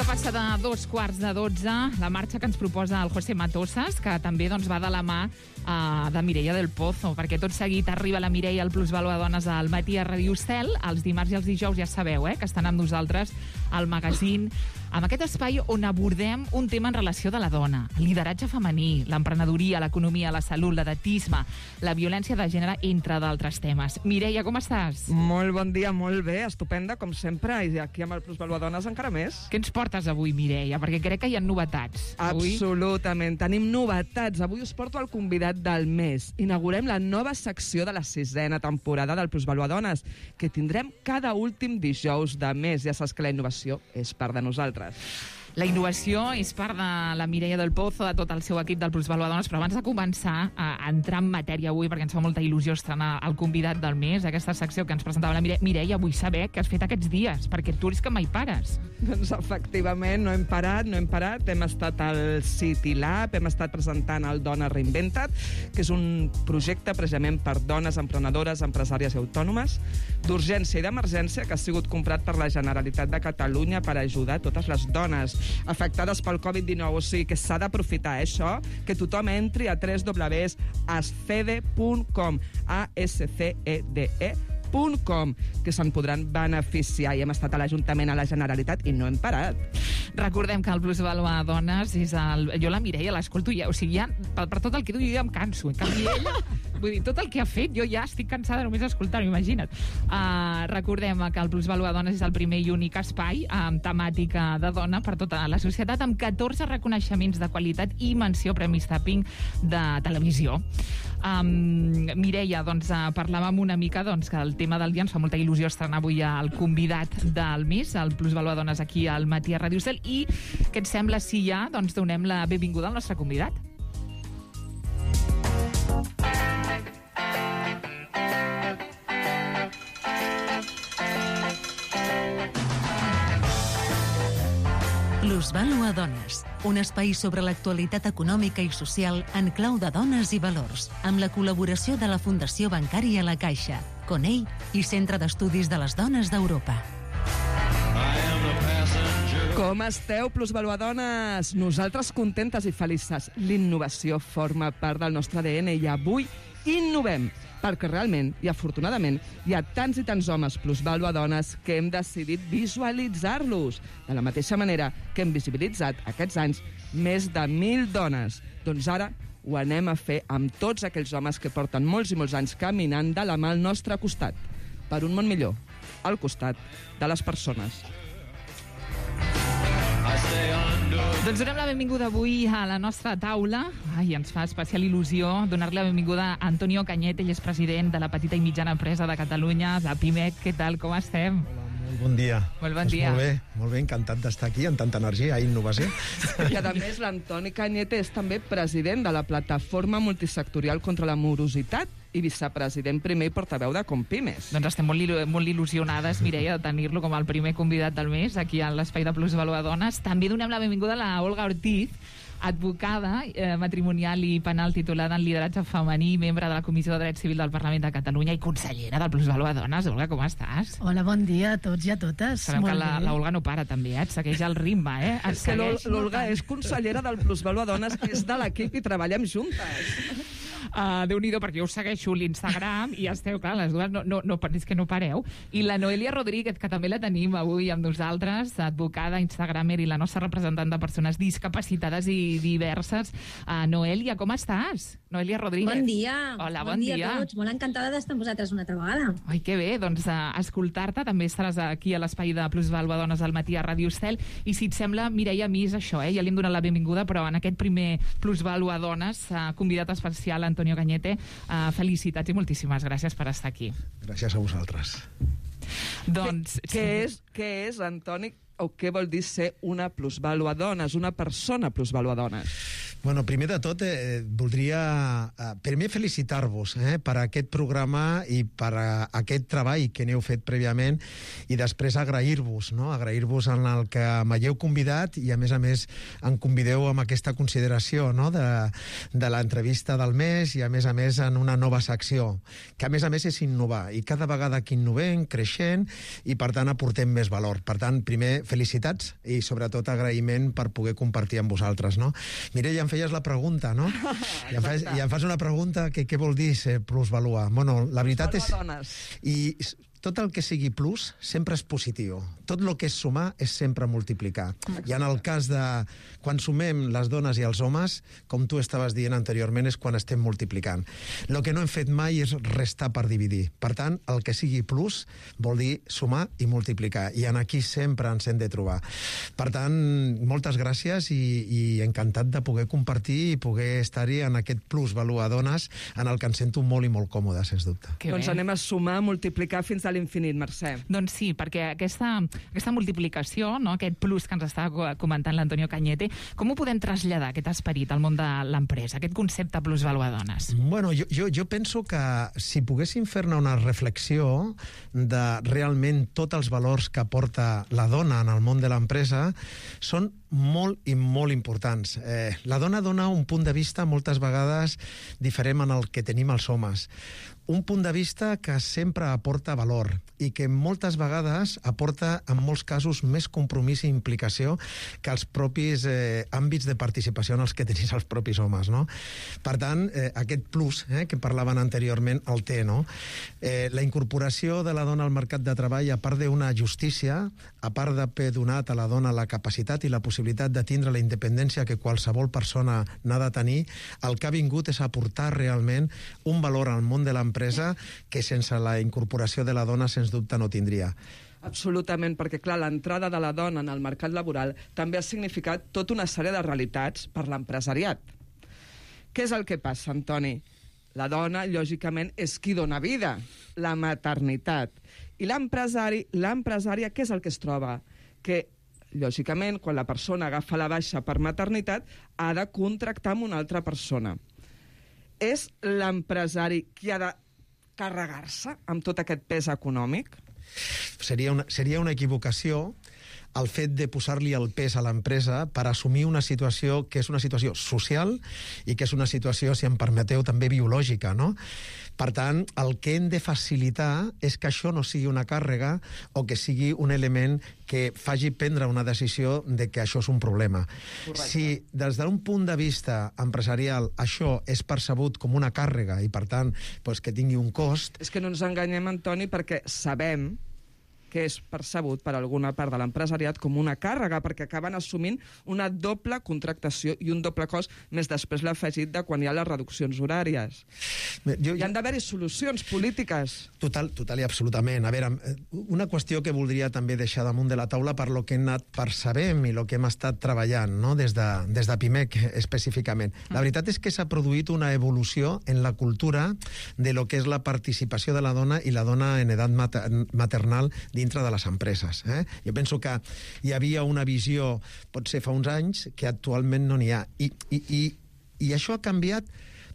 K: Passa de 2:15, la marxa que ens proposa el José Matosas, que també va de la mà de Mireia del Pozo, perquè tot seguit arriba la Mireia al Plusvàlua Dones al matí a Ràdio Estel. Els dimarts i els dijous ja sabeu que estan amb nosaltres al magazín, amb aquest espai on abordem un tema en relació de la dona, el lideratge femení, l'emprenedoria, l'economia, la salut, l'edatisme, la violència de gènere, entre d'altres temes. Mireia, com estàs?
O: Molt bon dia, molt bé, estupenda, com sempre, i aquí amb el Plusvàlua Dones encara més.
K: Què ens portes avui, Mireia? Perquè crec que hi ha novetats.
O: Absolutament, tenim novetats. Avui us porto el convidat del mes. Inaugurem la nova secció de la 6a temporada del Plusvàlua Dones, que tindrem cada últim dijous de mes. Ja saps que la innovació és part de nosaltres.
K: La innovació és part de la Mireia del Pozo, de tot el seu equip del Plusvàlua Dones, però abans de començar a entrar en matèria avui, perquè ens fa molta il·lusió estrenar el convidat del mes, aquesta secció que ens presentava la Mireia, vull saber què has fet aquests dies, perquè tu eres que mai pares.
O: Doncs efectivament, no hem parat. Hem estat al City Lab, hem estat presentant el Dona Reinventat, que és un projecte precisament per dones emprenedores, empresàries i autònomes, d'urgència i d'emergència, que ha sigut comprat per la Generalitat de Catalunya per ajudar totes les dones afectades pel Covid-19, o sigui que s'ha d'aprofitar això, que tothom entri a www.ascede.com, ASCEDE.com, que se'n podran beneficiar. I hem estat a l'Ajuntament, a la Generalitat, i no hem parat.
K: Recordem que el Plusvàlua Dones és jo la Mireia l'escolto ja, o sigui, ja, per tot el que diu jo ja em canso. En canvi, ella, vull dir, tot el que ha fet, jo ja estic cansada només d'escoltar-ho, imagina't. Recordem que el Plusvàlua Dones és el primer i únic espai amb temàtica de dona per tota la societat, amb 14 reconeixements de qualitat i menció Premis Tapping de televisió. Mireia, parlàvem una mica que el tema del dia ens fa molta il·lusió estrenar avui el convidat del mes, el Plusvàlua Dones aquí al matí a Ràdio Estel, i què et sembla si ja donem la benvinguda al nostre convidat?
G: Plusvàlua Dones, un espai sobre l'actualitat econòmica i social en clau de dones i valors, amb la col·laboració de la Fundació Bancària La Caixa, CONEI i Centre d'Estudis de les Dones d'Europa.
O: Com esteu, Plusvàlua Dones? Nosaltres contentes i felices. L'innovació forma part del nostre ADN i avui innovem, perquè realment i afortunadament hi ha tants i tants homes Plusvàlua Dones que hem decidit visualitzar-los, de la mateixa manera que hem visibilitzat aquests anys més de 1.000 dones. Doncs ara ho anem a fer amb tots aquells homes que porten molts i molts anys caminant de la mà al nostre costat, per un món millor, al costat de les persones.
K: Doncs donem la benvinguda avui a la nostra taula. Ens fa especial il·lusió donar-li la benvinguda a Antonio Cañete, ell és president de la Petita i Mitjana Empresa de Catalunya, la PIMEC. Què tal, com estem?
P: Hola, Bon dia.
K: Molt bon dia.
P: Molt bé, encantat d'estar aquí, amb tanta energia i innovació.
O: I a més, l'Antoni Cañete és també president de la Plataforma Multisectorial contra la Morositat i vicepresident primer i portaveu de Compimes.
K: Doncs estem molt il·lusionades, Mireia, de tenir-lo com el primer convidat del mes aquí a l'Espai de Plusvalor Dones. També donem la benvinguda a la Olga Ortiz, advocada matrimonial i penal titulada en lideratge femení, membre de la Comissió de Dret Civil del Parlament de Catalunya i consellera del Plusvalor Dones. Olga, com estàs?
Q: Hola, bon dia a tots i a totes.
K: Sabem que la Olga no para també, et segueix el ritme,
O: És que l'Olga és consellera del Plusvalor Dones, és de l'equip i treballem juntes.
K: Déu-n'hi-do, perquè jo us segueixo l'Instagram i esteu, clar, les dues és que no pareu. I la Noelia Rodríguez, que també la tenim avui amb nosaltres, advocada, instagramer i la nostra representant de persones discapacitades i diverses. Noelia, com estàs? Noelia Rodríguez.
R: Bon dia.
K: Hola, bon dia
R: a tots. Molt encantada d'estar amb vosaltres una altra vegada.
K: Ai, que bé, doncs escoltar-te. També estaràs aquí a l'espai de Plusvalor Dones al matí a Ràdio Estel. I si et sembla, Mireia, a mi és això, ja li hem donat la benvinguda, però en aquest primer Plusvalor Dones, convidat especial Antonio Cañete, felicitats i moltíssimes gràcies per estar aquí.
P: Gràcies a vosaltres.
K: Doncs...
O: Què és, Antoni, o què vol dir ser una plusvàlua dones, una persona plusvàlua dones?
P: Bueno, primer de tot, voldria primer felicitar-vos per aquest programa i per aquest treball que n'heu fet prèviament i després agrair-vos, no? Agrair-vos en el que m'heu convidat i a més em convideu amb aquesta consideració, no? de l'entrevista del mes i a més en una nova secció, que a més és innovar i cada vegada que innovem, creixent i per tant aportem més valor. Per tant, primer, felicitats i sobretot agraïment per poder compartir amb vosaltres, no? Mireia, em feies la pregunta, no? I em fas una pregunta que què vol dir ser plusvalua? Bueno, la veritat és... I tot el que sigui plus sempre és positiu. Tot el que és sumar és sempre multiplicar. I en el cas de quan sumem les dones i els homes, com tu estaves dient anteriorment, és quan estem multiplicant. El que no hem fet mai és restar per dividir. Per tant, el que sigui plus vol dir sumar i multiplicar. I en aquí sempre ens hem de trobar. Per tant, moltes gràcies i encantat de poder compartir i poder estar-hi en aquest plus valor a dones en el que ens sento molt i molt còmode, sens dubte.
O: Doncs anem a sumar, multiplicar fins a l'infinit, Mercè.
K: Doncs sí, perquè aquesta multiplicació, no, aquest plus que ens està comentant l'Antonio Cañete, com ho podem traslladar, aquest esperit, al món de l'empresa, aquest concepte plusvalor a dones?
P: Bueno, jo penso que si poguéssim fer-ne una reflexió de realment tots els valors que aporta la dona en el món de l'empresa, són molt i molt importants. La dona dona un punt de vista moltes vegades diferent en el que tenim els homes. Un punt de vista que sempre aporta valor i que moltes vegades aporta, en molts casos, més compromís i implicació que els propis àmbits de participació en els que tenim els propis homes, no? Per tant, aquest plus que parlaven anteriorment el té, no? La incorporació de la dona al mercat de treball, a part d'una justícia, a part d'haver donat a la dona la capacitat i la possibilitat de tindre la independència que qualsevol persona n'ha de tenir, el que ha vingut és aportar realment un valor al món de l'empresa que sense la incorporació de la dona sens dubte no tindria.
O: Absolutament, perquè clar, l'entrada de la dona en el mercat laboral també ha significat tota una sèrie de realitats per l'empresariat. Què és el que passa, Antoni? La dona, lògicament, és qui dona vida, la maternitat. I l'empresària, què és el que es troba? Que, lògicament, quan la persona agafa la baixa per maternitat, ha de contractar amb una altra persona. És l'empresari qui ha de carregar-se amb tot aquest pes econòmic?
P: Seria una equivocació el fet de posar-li el pes a l'empresa per assumir una situació que és una situació social i que és una situació, si em permeteu, també biològica, no? Per tant, el que hem de facilitar és que això no sigui una càrrega o que sigui un element que faci prendre una decisió de que això és un problema. Correcte. Si des d'un punt de vista empresarial això és percebut com una càrrega i, per tant, que tingui un cost...
O: És que no ens enganyem, Antoni, perquè sabem que és percebut per alguna part de l'empresariat com una càrrega, perquè acaben assumint una doble contractació i un doble cost, més després l'afegit de quan hi ha les reduccions horàries. Hi han d'haver-hi solucions polítiques.
P: Total i absolutament. A veure, una qüestió que voldria també deixar damunt de la taula per lo que hem anat percebent i el que hem estat treballant, no? des de PIMEC específicament. La veritat és que s'ha produït una evolució en la cultura de lo que és la participació de la dona i la dona en edat maternal dins dintre de les empreses. Jo penso que hi havia una visió, pot ser fa uns anys, que actualment no n'hi ha. I això ha canviat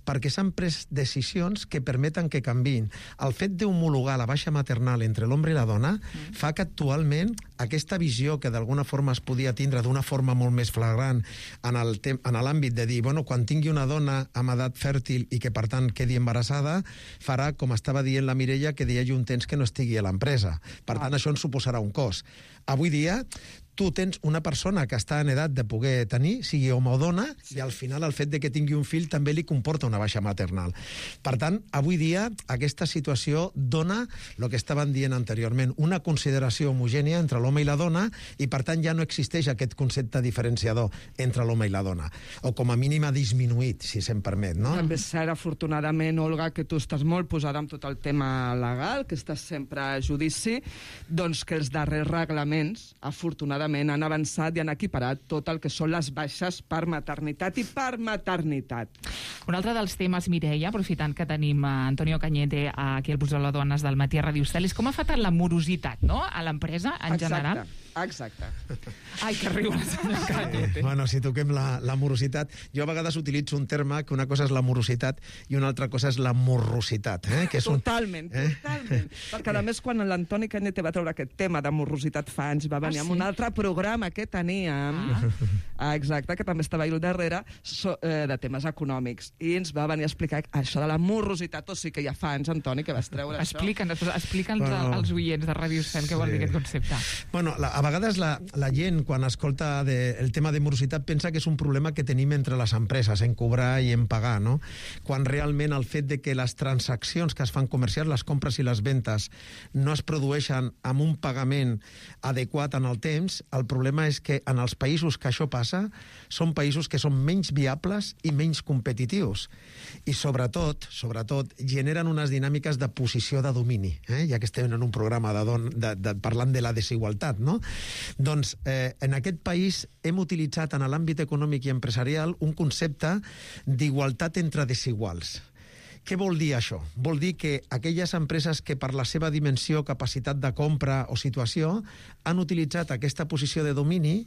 P: perquè s'han pres decisions que permeten que canviïn. El fet d'homologar la baixa maternal entre l'home i la dona fa que actualment aquesta visió que d'alguna forma es podia tindre d'una forma molt més flagrant en l'àmbit de dir, bueno, quan tingui una dona amb edat fèrtil i que per tant quedi embarassada, farà, com estava dient la Mireia, que hi hagi un temps que no estigui a l'empresa. Per tant, això ens suposarà un cost. Avui dia, tu tens una persona que està en edat de poder tenir, sigui home o dona, i al final el fet de que tingui un fill també li comporta una baixa maternal. Per tant, avui dia aquesta situació dona el que estaven dient anteriorment, una consideració homogènia entre l'home i la dona, i per tant ja no existeix aquest concepte diferenciador entre l'home i la dona, o com a mínim ha disminuït, si se'm permet, no?
O: També és cert, afortunadament, Olga, que tu estàs molt posada amb tot el tema legal, que estàs sempre a judici, doncs que els darrers reglaments, afortunadament, han avançat i han equiparat tot el que són les baixes per maternitat i per maternitat.
K: Un altre dels temes, Mireia, aprofitant que tenim Antonio Cañete aquí al Busó de Dones del Matí a Radio Estel, és com ha afectat la morositat, no?, a l'empresa en general.
O: Exacte.
K: Ai, que riu la senyora Cañete.
P: Bueno, si toquem la morositat, jo a vegades utilitzo un terme que una cosa és la morositat i una altra cosa és la morrositat. Que és
O: totalment. Perquè a més, quan l'Antoni Cañete va treure aquest tema de morositat fa anys, va venir amb un altre programa que teníem, exacte, que també estava al darrere, de temes econòmics, i ens va venir a explicar això de la morositat, o sigui que ja fa anys, Antoni, que vas treure això.
K: Explica'ns als oients de Ràdio Estel què vol dir aquest concepte.
P: Bueno, a vegades la gent, quan escolta el tema de morositat, pensa que és un problema que tenim entre les empreses, en cobrar i en pagar, no? Quan realment el fet de que les transaccions que es fan comercials, les compres i les ventes, no es produeixen amb un pagament adequat en el temps, el problema és que en els països que això passa, són països que són menys viables i menys competitius. I sobretot, generen unes dinàmiques de posició de domini, ja que estem en un programa parlant de la desigualtat, no? Doncs en aquest país hem utilitzat en l'àmbit econòmic i empresarial un concepte d'igualtat entre desiguals. Què vol dir això? Vol dir que aquelles empreses que per la seva dimensió, capacitat de compra o situació han utilitzat aquesta posició de domini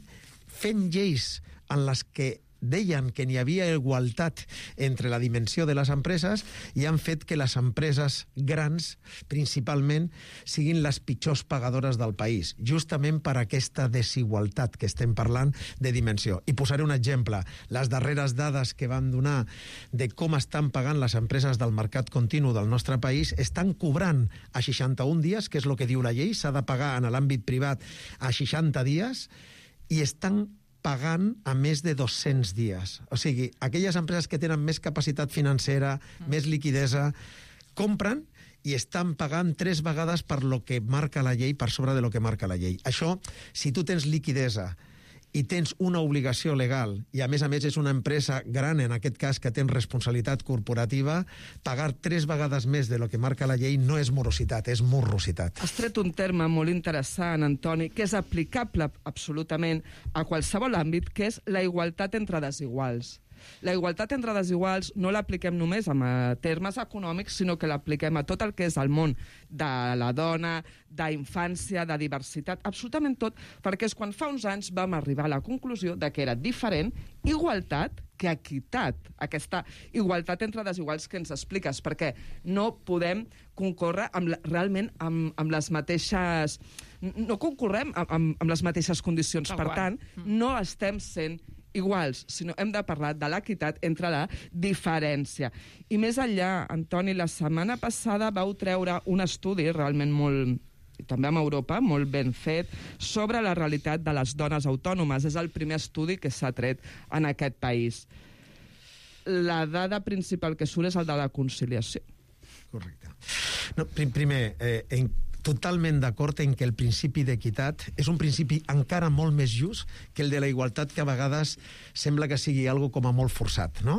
P: fent lleis en les que deien que n'hi havia igualtat entre la dimensió de les empreses i han fet que les empreses grans, principalment, siguin les pitjors pagadores del país, justament per aquesta desigualtat que estem parlant de dimensió. I posaré un exemple. Les darreres dades que van donar de com estan pagant les empreses del mercat continu del nostre país estan cobrant a 61 dies, que és el que diu la llei, s'ha de pagar en l'àmbit privat a 60 dies, i estan pagant a més de 200 dies. O sigui, aquelles empreses que tenen més capacitat financera, més liquidesa, compren i estan pagant 3 vegades per lo que marca la llei, per sobre de lo que marca la llei. Això, si tu tens liquidesa i tens una obligació legal, i a més és una empresa gran, en aquest cas, que tens responsabilitat corporativa, pagar 3 vegades més de lo que marca la llei no és morositat, és morrositat.
O: Has tret un terme molt interessant, Antoni, que és aplicable absolutament a qualsevol àmbit, que és la igualtat entre desiguals. La igualtat entre desiguals no l'apliquem només en termes econòmics, sinó que l'apliquem a tot el que és el món de la dona, d'infància, de diversitat, absolutament tot, perquè és quan fa uns anys vam arribar a la conclusió de que era diferent igualtat que equitat, aquesta igualtat entre desiguals que ens expliques, perquè no podem concórrer realment amb les mateixes... No concorrem amb les mateixes condicions, per tant, no estem sent iguals, sinó hem de parlar de l'equitat entre la diferència. I més enllà, Antoni, la setmana passada vau treure un estudi realment molt, i també en Europa, molt ben fet, sobre la realitat de les dones autònomes. És el primer estudi que s'ha tret en aquest país. La dada principal que surt és el de la conciliació.
P: Correcte. No, primer, totalment d'acord en que el principi d'equitat és un principi encara molt més just que el de la igualtat, que a vegades sembla que sigui algo com a molt forçat, no?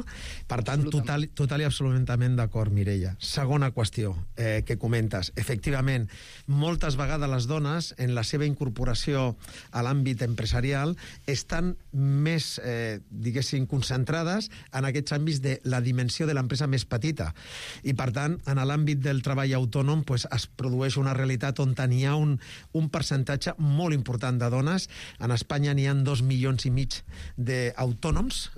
P: Per tant, total i absolutament d'acord, Mireia. Segona qüestió que comentes. Efectivament, moltes vegades les dones, en la seva incorporació a l'àmbit empresarial, estan més, diguéssim, concentrades en aquests àmbits de la dimensió de l'empresa més petita. I, per tant, en l'àmbit del treball autònom, es produeix una realitat realitat on n'hi ha un percentatge molt important de dones. En Espanya n'hi ha 2,5 milions d'autònoms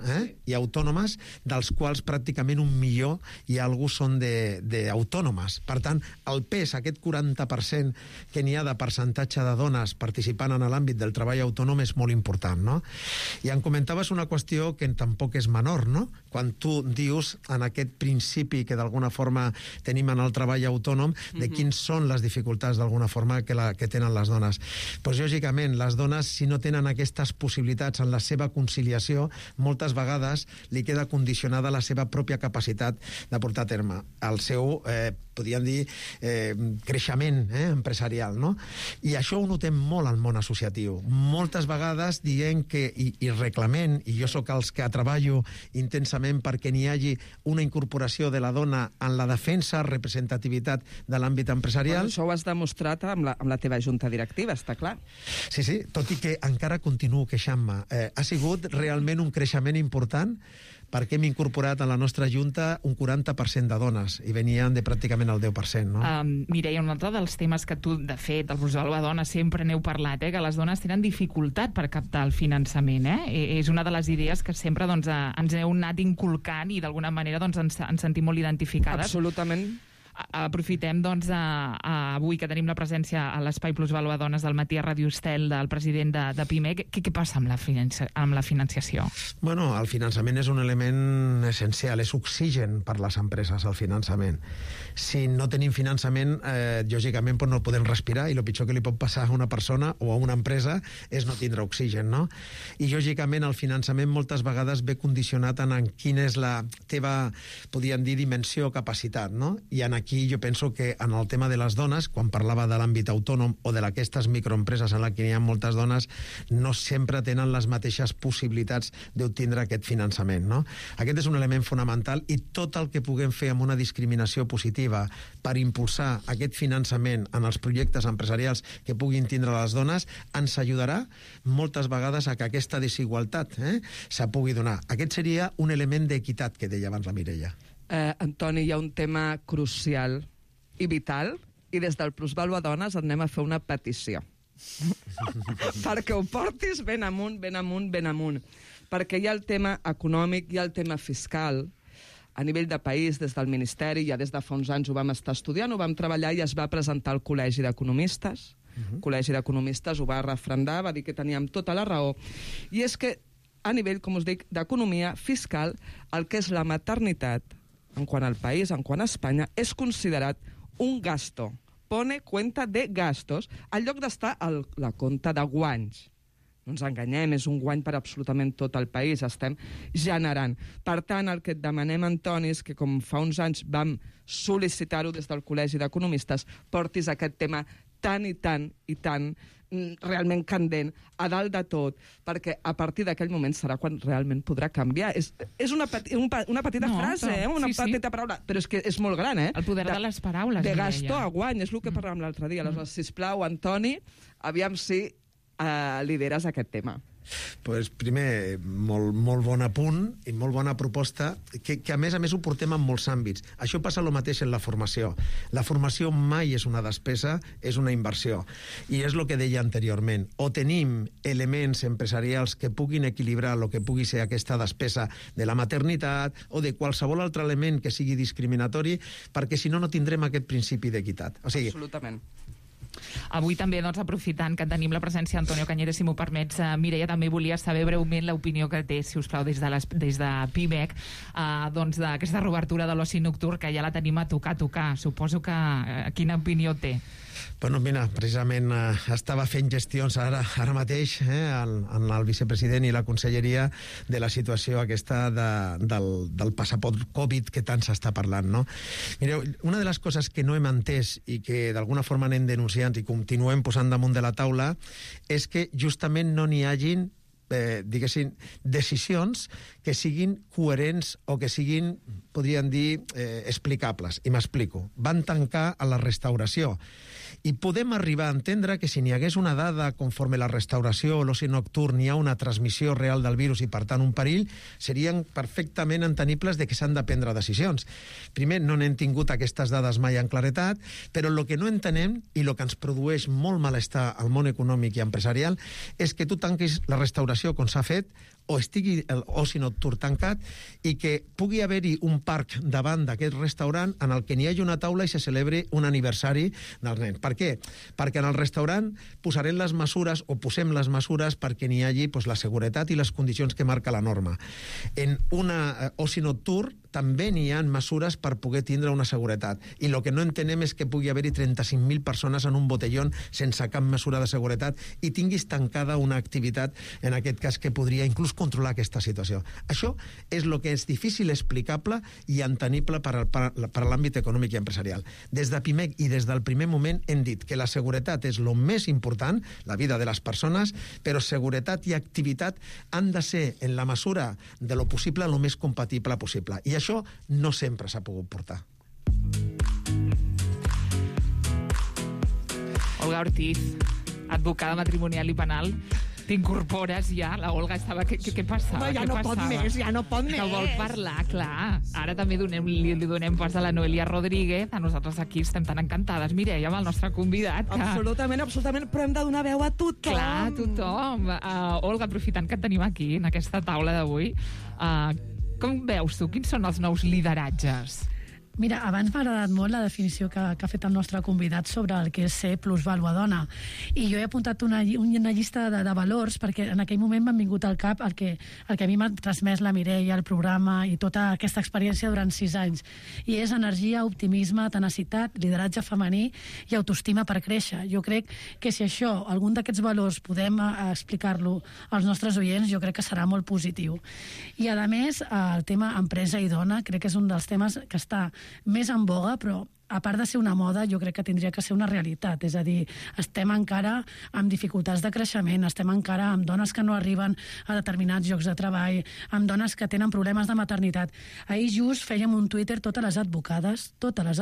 P: i autònomes, dels quals pràcticament 1 milió i alguna són d'autònomes. Per tant, el pes, aquest 40% que n'hi ha de percentatge de dones participant en l'àmbit del treball autònom és molt important, no? I em comentaves una qüestió que tampoc és menor, no? Quan tu dius en aquest principi que d'alguna forma tenim en el treball autònom, de quins són les dificultats d'alguna forma que tenen les dones. Doncs lògicament, les dones, si no tenen aquestes possibilitats en la seva conciliació, moltes vegades li queda condicionada la seva pròpia capacitat de portar a terme el seu, podríem dir, creixement empresarial, no? I això ho notem molt al món associatiu. Moltes vegades dient que, i reclamem, i jo sóc els que treballo intensament perquè n'hi hagi una incorporació de la dona en la defensa, representativitat de l'àmbit empresarial.
O: Això ho has demostrat amb la teva junta directiva, està clar.
P: Sí, tot i que encara continuo queixant-me. Ha sigut realment un creixement important perquè hem incorporat a la nostra junta un 40% de dones i venien de pràcticament el 10%, no?
K: Mireia, un altre dels temes que tu, de fet, el Procés Alba Dona sempre n'heu parlat, que les dones tenen dificultat per captar el finançament, És una de les idees que sempre ens heu anat inculcant i d'alguna manera ens sentim molt identificades.
O: Absolutament.
K: Aprofitem avui que tenim la presència a l'Espai Plus Vàlua Dones del matí a Ràdio Estel del president de PIMEC. Què passa amb la financiació?
P: Bueno, el finançament és un element essencial, és oxigen per les empreses, el finançament. Si no tenim finançament, lògicament no podem respirar, i el pitjor que li pot passar a una persona o a una empresa és no tindre oxigen, no? I lògicament el finançament moltes vegades ve condicionat en quina és la teva, podríem dir, dimensió o capacitat, no? I aquí jo penso que en el tema de les dones, quan parlava de l'àmbit autònom o d'aquestes microempreses en què hi ha moltes dones, no sempre tenen les mateixes possibilitats d'obtindre aquest finançament, no? Aquest és un element fonamental, i tot el que puguem fer amb una discriminació positiva per impulsar aquest finançament en els projectes empresarials que puguin tindre les dones ens ajudarà moltes vegades a que aquesta desigualtat se pugui donar. Aquest seria un element d'equitat que deia abans la Mireia.
O: Antoni, hi ha un tema crucial i vital, i des del Plusvàlua Dones et anem a fer una petició. Perquè ho portis ben amunt, ben amunt, ben amunt. Perquè hi ha el tema econòmic, hi ha el tema fiscal. A nivell de país, des del Ministeri, ja des de fa uns anys ho vam estar estudiant, ho vam treballar i es va presentar al Col·legi d'Economistes. El Col·legi d'Economistes ho va refrendar, va dir que teníem tota la raó. I és que, a nivell, com us dic, d'economia fiscal, el que és la maternitat, en quant al país, en quant a Espanya, és considerat un gasto. Pone cuenta de gastos, en lloc d'estar a la compta de guanys. No ens enganyem, és un guany per absolutament tot el país, estem generant. Per tant, el que et demanem, Antoni, és que com fa uns anys vam sol·licitar-ho des del Col·legi d'Economistes, portis aquest tema tan i tan realment candent a dalt de tot, perquè a partir d'aquell moment serà quan realment podrà canviar. És una petita frase, una petita paraula, però és que és molt gran,
K: El poder de les paraules.
O: De gasto a guany, és el que parlàvem l'altre dia. Aleshores, sisplau, Antoni, aviam si lideres aquest tema.
P: Pues primer, molt bon apunt i molt bona proposta, que a més ho portem en molts àmbits. Això passa el mateix en la formació. La formació mai és una despesa, és una inversió. I és el que deia anteriorment. O tenim elements empresarials que puguin equilibrar el que pugui ser aquesta despesa de la maternitat o de qualsevol altre element que sigui discriminatori, perquè si no, no tindrem aquest principi d'equitat. O sigui,
O: absolutament.
K: Avui també, aprofitant que tenim la presència d'Antonio Cañete, si m'ho permets, Mireia, també volia saber breument l'opinió que té, si us plau, des de PIMEC, d'aquesta reobertura de l'oci nocturn, que ja la tenim a tocar. Suposo que quina opinió té?
P: Bueno, mira, precisament estava fent gestions ara mateix en el vicepresident i la conselleria de la situació aquesta del passaport Covid que tant s'està parlant, no? Mireu, una de les coses que no hem entès i que d'alguna forma anem denunciant i continuem posant damunt de la taula és que justament no n'hi hagin diguéssim, decisions que siguin coherents o que siguin, podrien dir explicables, i m'explico. Van tancar a la restauració. I podem arribar a entendre que si n'hi hagués una dada conforme la restauració o l'oci nocturn hi ha una transmissió real del virus i, per tant, un perill, serien perfectament entenibles de que s'han de prendre decisions. Primer, no n'hem tingut aquestes dades mai en claretat, però el que no entenem i el que ens produeix molt malestar al món econòmic i empresarial és que tu tanquis la restauració com s'ha fet o estigui l'oci nocturn tancat i que pugui haver-hi un parc davant d'aquest restaurant en el que n'hi hagi una taula i se celebri un aniversari del nen. Per què? Perquè en el restaurant posarem les mesures o posem les mesures perquè n'hi hagi la seguretat i les condicions que marca la norma. En una oci nocturn també n'hi ha mesures per poder tindre una seguretat. I el que no entenem és que pugui haver-hi 35.000 persones en un botellón sense cap mesura de seguretat i tinguis tancada una activitat, en aquest cas, que podria inclús controlar aquesta situació. Això és el que és difícil explicable i entenible per a l'àmbit econòmic i empresarial. Des de PIMEC i des del primer moment hem dit que la seguretat és el més important, la vida de les persones, però seguretat i activitat han de ser, en la mesura de lo possible, el més compatible possible. I això no sempre s'ha pogut portar.
K: Olga Ortiz, advocada matrimonial i penal, t'incorpores ja? La Olga estava... Què passava?
O: Ja no pot més.
K: Que vol parlar, clar. Ara també li donem pas a la Noelia Rodríguez. A nosaltres aquí estem tan encantades, Mireia, amb el nostre convidat.
O: Absolutament, però hem de donar veu a tothom.
K: Clar, tothom. Olga, aprofitant que et tenim aquí, en aquesta taula d'avui, com veus tu? Quins són els nous lideratges?
Q: Mira, abans m'ha agradat molt la definició que ha fet el nostre convidat sobre el que és ser plusvàlua dona. I jo he apuntat una llista de valors perquè en aquell moment m'han vingut al cap el que a mi m'ha transmès la Mireia, el programa i tota aquesta experiència durant 6 anys. I és energia, optimisme, tenacitat, lideratge femení i autoestima per créixer. Jo crec que si això, algun d'aquests valors, podem explicar-lo als nostres oients, jo crec que serà molt positiu. I, a més, el tema empresa i dona crec que és un dels temes que està més en boga, però a part de ser una moda, jo crec que tindria que ser una realitat. És a dir, estem encara amb dificultats de creixement, estem encara amb dones que no arriben a determinats llocs de treball, amb dones que tenen problemes de maternitat. Ahir just fèiem un Twitter totes les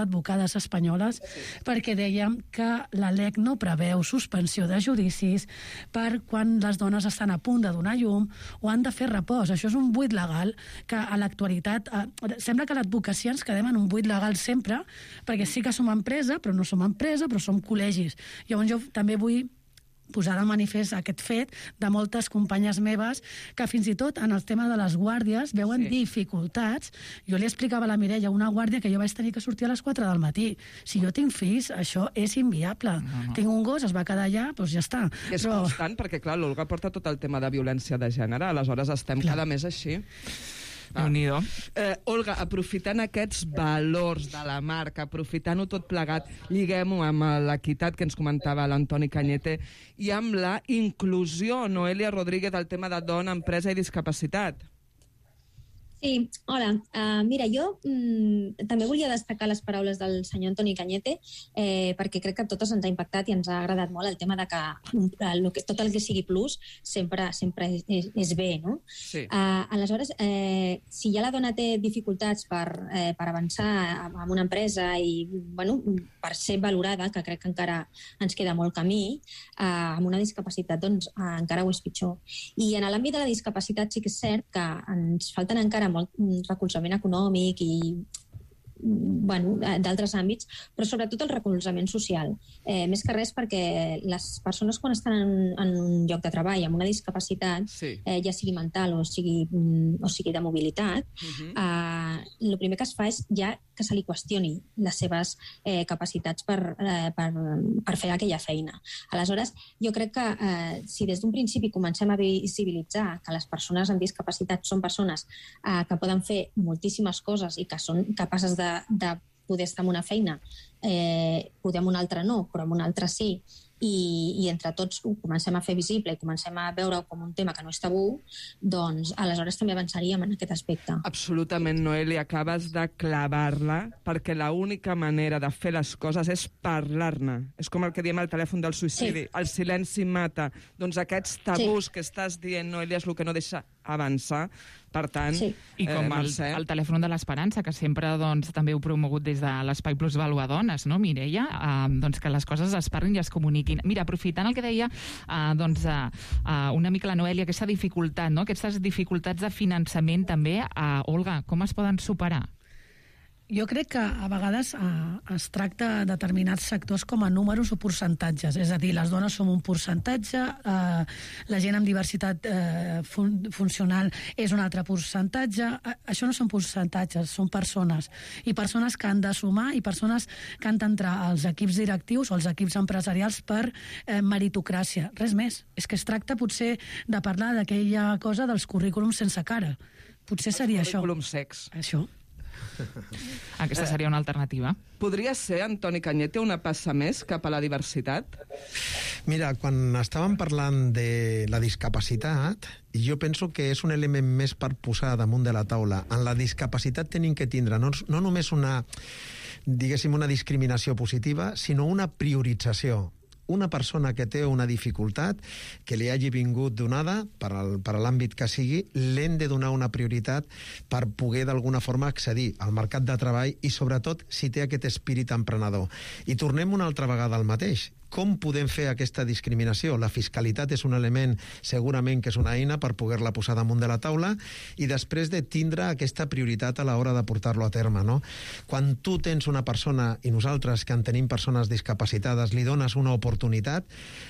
Q: advocades espanyoles, perquè dèiem que la LEC no preveu suspensió de judicis per quan les dones estan a punt de donar llum o han de fer repòs. Això és un buit legal que a l'actualitat... Sembla que a l'advocacia ens quedem en un buit legal sempre, perquè sí que som empresa, però no som empresa, però som col·legis. Llavors jo també vull posar de manifest aquest fet de moltes companyes meves que fins i tot en el tema de les guàrdies veuen dificultats. Jo li explicava a la Mireia una guàrdia que jo vaig tenir que sortir a les 4 del matí. Si jo tinc fills, això és inviable. Tinc un gos, es va quedar allà, doncs ja està.
O: És constant, perquè clar, l'Olga porta tot el tema de violència de gènere, aleshores estem cada mes així. Olga, aprofitant aquests valors de la marca, aprofitant-ho tot plegat, lliguem-ho amb l'equitat que ens comentava l'Antoni Cañete i amb la inclusió, Noelia Rodríguez, del tema de dona, empresa i discapacitat.
R: Sí, hola. Mira, jo també volia destacar les paraules del senyor Antoni Cañete perquè crec que a totes ens ha impactat i ens ha agradat molt el tema de que tot el que sigui plus sempre és bé, no? Sí. Aleshores, si ja la dona té dificultats per avançar en una empresa i per ser valorada, que crec que encara ens queda molt camí, amb una discapacitat doncs encara ho és pitjor. I en l'àmbit de la discapacitat sí que és cert que ens falten encara molt recolzament econòmic i d'altres àmbits, però sobretot el recolzament social. Més que res perquè les persones quan estan en un lloc de treball amb una discapacitat, ja sigui mental o sigui de mobilitat, el primer que es fa és ja que se li qüestioni les seves capacitats per fer aquella feina. Aleshores, jo crec que si des d'un principi comencem a visibilitzar que les persones amb discapacitat són persones que poden fer moltíssimes coses i que són capaces de poder estar en una feina, poder en una altra no, però en una altra sí, i entre tots ho comencem a fer visible i comencem a veure com un tema que no és tabú, doncs aleshores també avançaríem en aquest aspecte.
O: Absolutament, Noelia, acabes de clavar-la, perquè l'única manera de fer les coses és parlar-ne. És com el que diem al telèfon del suïcidi, el silenci mata. Doncs aquests tabús que estàs dient, Noelia, és el que no deixa avançar. Per tant,
K: I com el telèfon de l'Esperança, que sempre també heu promogut des de l'Espai Plus Valuadones, no, Mireia? Que les coses es parlin i es comuniquin. Mira, aprofitant el que deia una mica la Noelia, aquesta dificultat, no? Aquestes dificultats de finançament també, Olga, com es poden superar?
Q: Jo crec que a vegades es tracta determinats sectors com a números o percentatges. És a dir, les dones som un percentatge, la gent amb diversitat funcional és un altre percentatge. Això no són percentatges, són persones. I persones que han de sumar i persones que han d'entrar als equips directius o als equips empresarials per meritocràcia. Res més. És que es tracta potser de parlar d'aquella cosa dels currículums sense cara. Potser seria això.
O: Currículum sex.
Q: Això.
K: Aquesta seria una alternativa.
O: Podria ser, Antoni Cañete, una passa més cap a la diversitat?
P: Mira, quan estàvem parlant de la discapacitat, jo penso que és un element més per posar damunt de la taula. En la discapacitat tenim que tindre no només una discriminació positiva, sinó una priorització. Una persona que té una dificultat que li hagi vingut donada per l'àmbit que sigui, l'hem de donar una prioritat per poder d'alguna forma accedir al mercat de treball i sobretot si té aquest espírit emprenedor. I tornem una altra vegada al mateix. Com podem fer aquesta discriminació? La fiscalitat és un element, segurament que és una eina per poder-la posar damunt de la taula i després de tindre aquesta prioritat a l'hora de portar-lo a terme, no? Quan tu tens una persona, i nosaltres que en tenim persones discapacitades, li dones una oportunitat,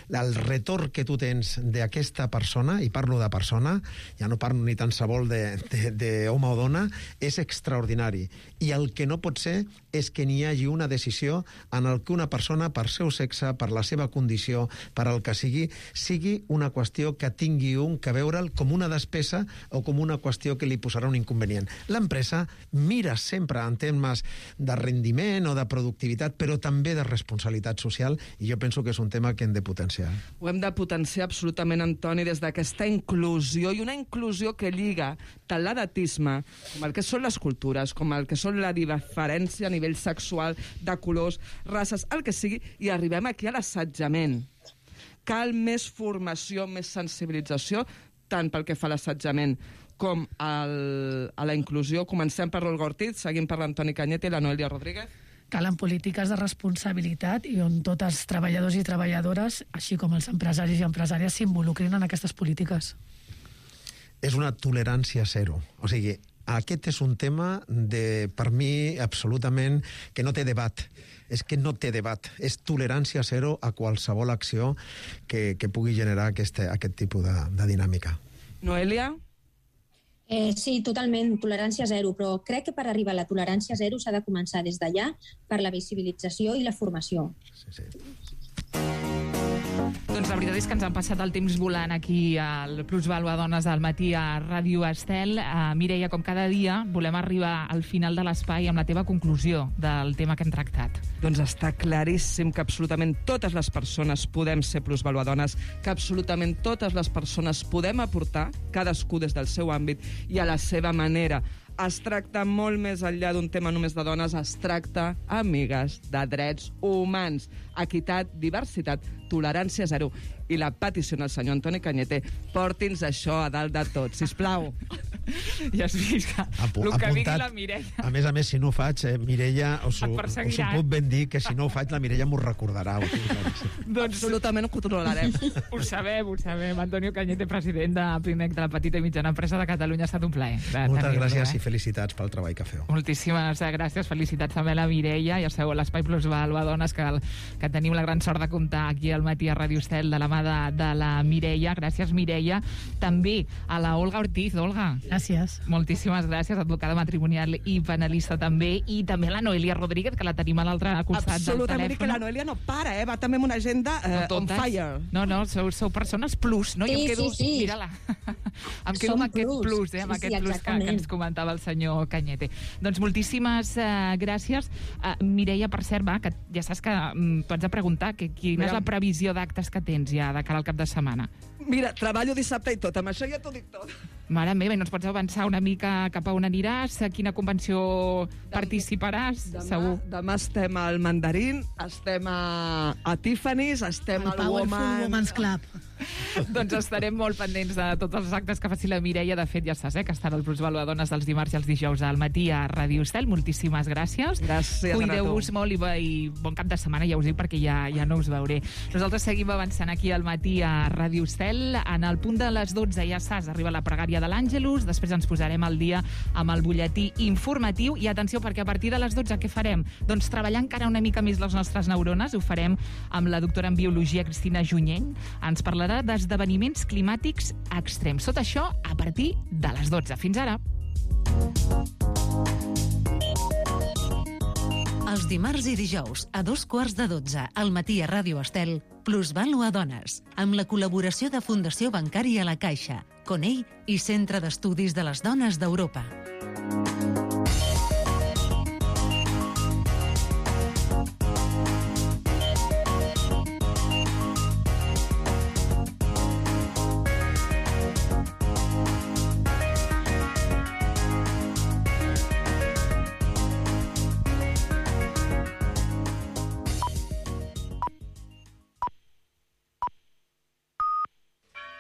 P: el retorn que tu tens d'aquesta persona, i parlo de persona, ja no parlo ni tan sabol d'home o dona, és extraordinari. I el que no pot ser és que n'hi hagi una decisió en el que una persona, per seu sexe, per la seva condició, per al que sigui una qüestió que tingui que veure'l com una despesa o com una qüestió que li posarà un inconvenient. L'empresa mira sempre en termes de rendiment o de productivitat, però també de responsabilitat social, i jo penso que és un tema que hem de potenciar.
O: Ho hem de potenciar absolutament, Antoni, des d'aquesta inclusió, i una inclusió que lliga tant l'edatisme com el que són les cultures, com el que són la diferència a nivell sexual, de colors, races, el que sigui, i arribem aquí a l'assetjament. Cal més formació, més sensibilització, tant pel que fa a l'assetjament com a la inclusió. Comencem per l'Olga Ortiz, seguim per l'Antoni Cañete i la Noelia Rodríguez.
Q: Calen polítiques de responsabilitat i on tots els treballadors i treballadores, així com els empresaris i empresàries, s'involucrin en aquestes polítiques.
P: És una tolerància zero. O sigui, aquest és un tema, per mi, absolutament, que no té debat. És que no té debat. És tolerància zero a qualsevol acció que pugui generar aquest tipus de dinàmica.
O: Noelia?
R: Sí, totalment, tolerància zero, però crec que per arribar a la tolerància zero s'ha de començar des d'allà per la visibilització i la formació.
P: Sí.
K: Doncs la veritat és que ens han passat el temps volant aquí al Plus Valuadones al matí a Ràdio Estel. Mireia, com cada dia, volem arribar al final de l'espai amb la teva conclusió del tema que hem tractat.
O: Doncs està claríssim que absolutament totes les persones podem ser plusvaluadones, que absolutament totes les persones podem aportar, cadascú des del seu àmbit i a la seva manera. Es tracta molt més enllà d'un tema només de dones, es tracta, amigues, de drets humans, equitat, diversitat, tolerància zero. I la petició al senyor Antoni Cañete, porti'ns això a dalt de tot, sisplau.
K: Ja has vist que el que digui la Mireia...
P: A més, si no ho faig, Mireia, us ho puc ben dir, que si no ho faig, la Mireia m'ho recordarà.
O: Doncs absolutament ho controlarem.
K: Ho sabem. Antonio Cañete, president de PIMEC, de la petita i mitjana empresa de Catalunya, ha estat un plaer.
P: Moltes gràcies i felicitats pel treball que feu.
K: Moltíssimes gràcies, felicitats també a la Mireia, ja sabeu, l'Espai Plus Valuadones, que tenim la gran sort de comptar aquí al matí a Ràdio Estel de la mà de la Mireia. Gràcies, Mireia. També a la Olga Ortiz. Olga.
Q: Gràcies.
K: Moltíssimes gràcies, advocada matrimonial i penalista també. I també la Noelia Rodríguez, que la tenim a l'altre costat del telèfon.
O: Absolutament, que la Noelia no para, va també amb una agenda on fire.
K: No, sou persones plus, no?
R: Sí, sí.
K: Mira-la. Em quedo amb aquest plus, amb aquest plus que ens comentava el senyor Cañete. Doncs moltíssimes gràcies. Mireia, per cert, que ja saps que tu has de preguntar quina és la previsió d'actes que tens ja de cara al cap de setmana.
O: Mira, treballo dissabte i tot, amb això ja t'ho dic tot.
K: Mare meva, i no ens pots avançar una mica cap a on aniràs? A quina convenció participaràs? Segur.
O: Demà estem al Mandarín, estem a Tiffany's, estem al
Q: Powerful Women's Club.
K: Doncs estarem molt pendents de tots els actes que faci la Mireia. De fet, ja saps, que estan al Plusvaluadones dels dimarts i els dijous al matí a Ràdio Estel. Moltíssimes gràcies.
O: Gràcies.
K: Cuideu-vos molt i bon cap de setmana, ja us dic, perquè ja no us veuré. Nosaltres seguim avançant aquí al matí a Ràdio Estel. En el punt de les 12, ja saps, arriba la pregària de l'Àngelus, després ens posarem al dia amb el butlletí informatiu. I atenció, perquè a partir de les 12 què farem? Doncs treballar encara una mica més les nostres neurones. Ho farem amb la doctora en Biologia, Cristina Junyent. Ens parlarà d'esdeveniments climàtics extrems. Tot això a partir de les 12. Fins ara.
G: Els dimarts i dijous, a 2:15, al matí a Ràdio Estel, Plusvàlua Dones, amb la col·laboració de Fundació Bancària La Caixa, Conell i Centre d'Estudis de les Dones d'Europa.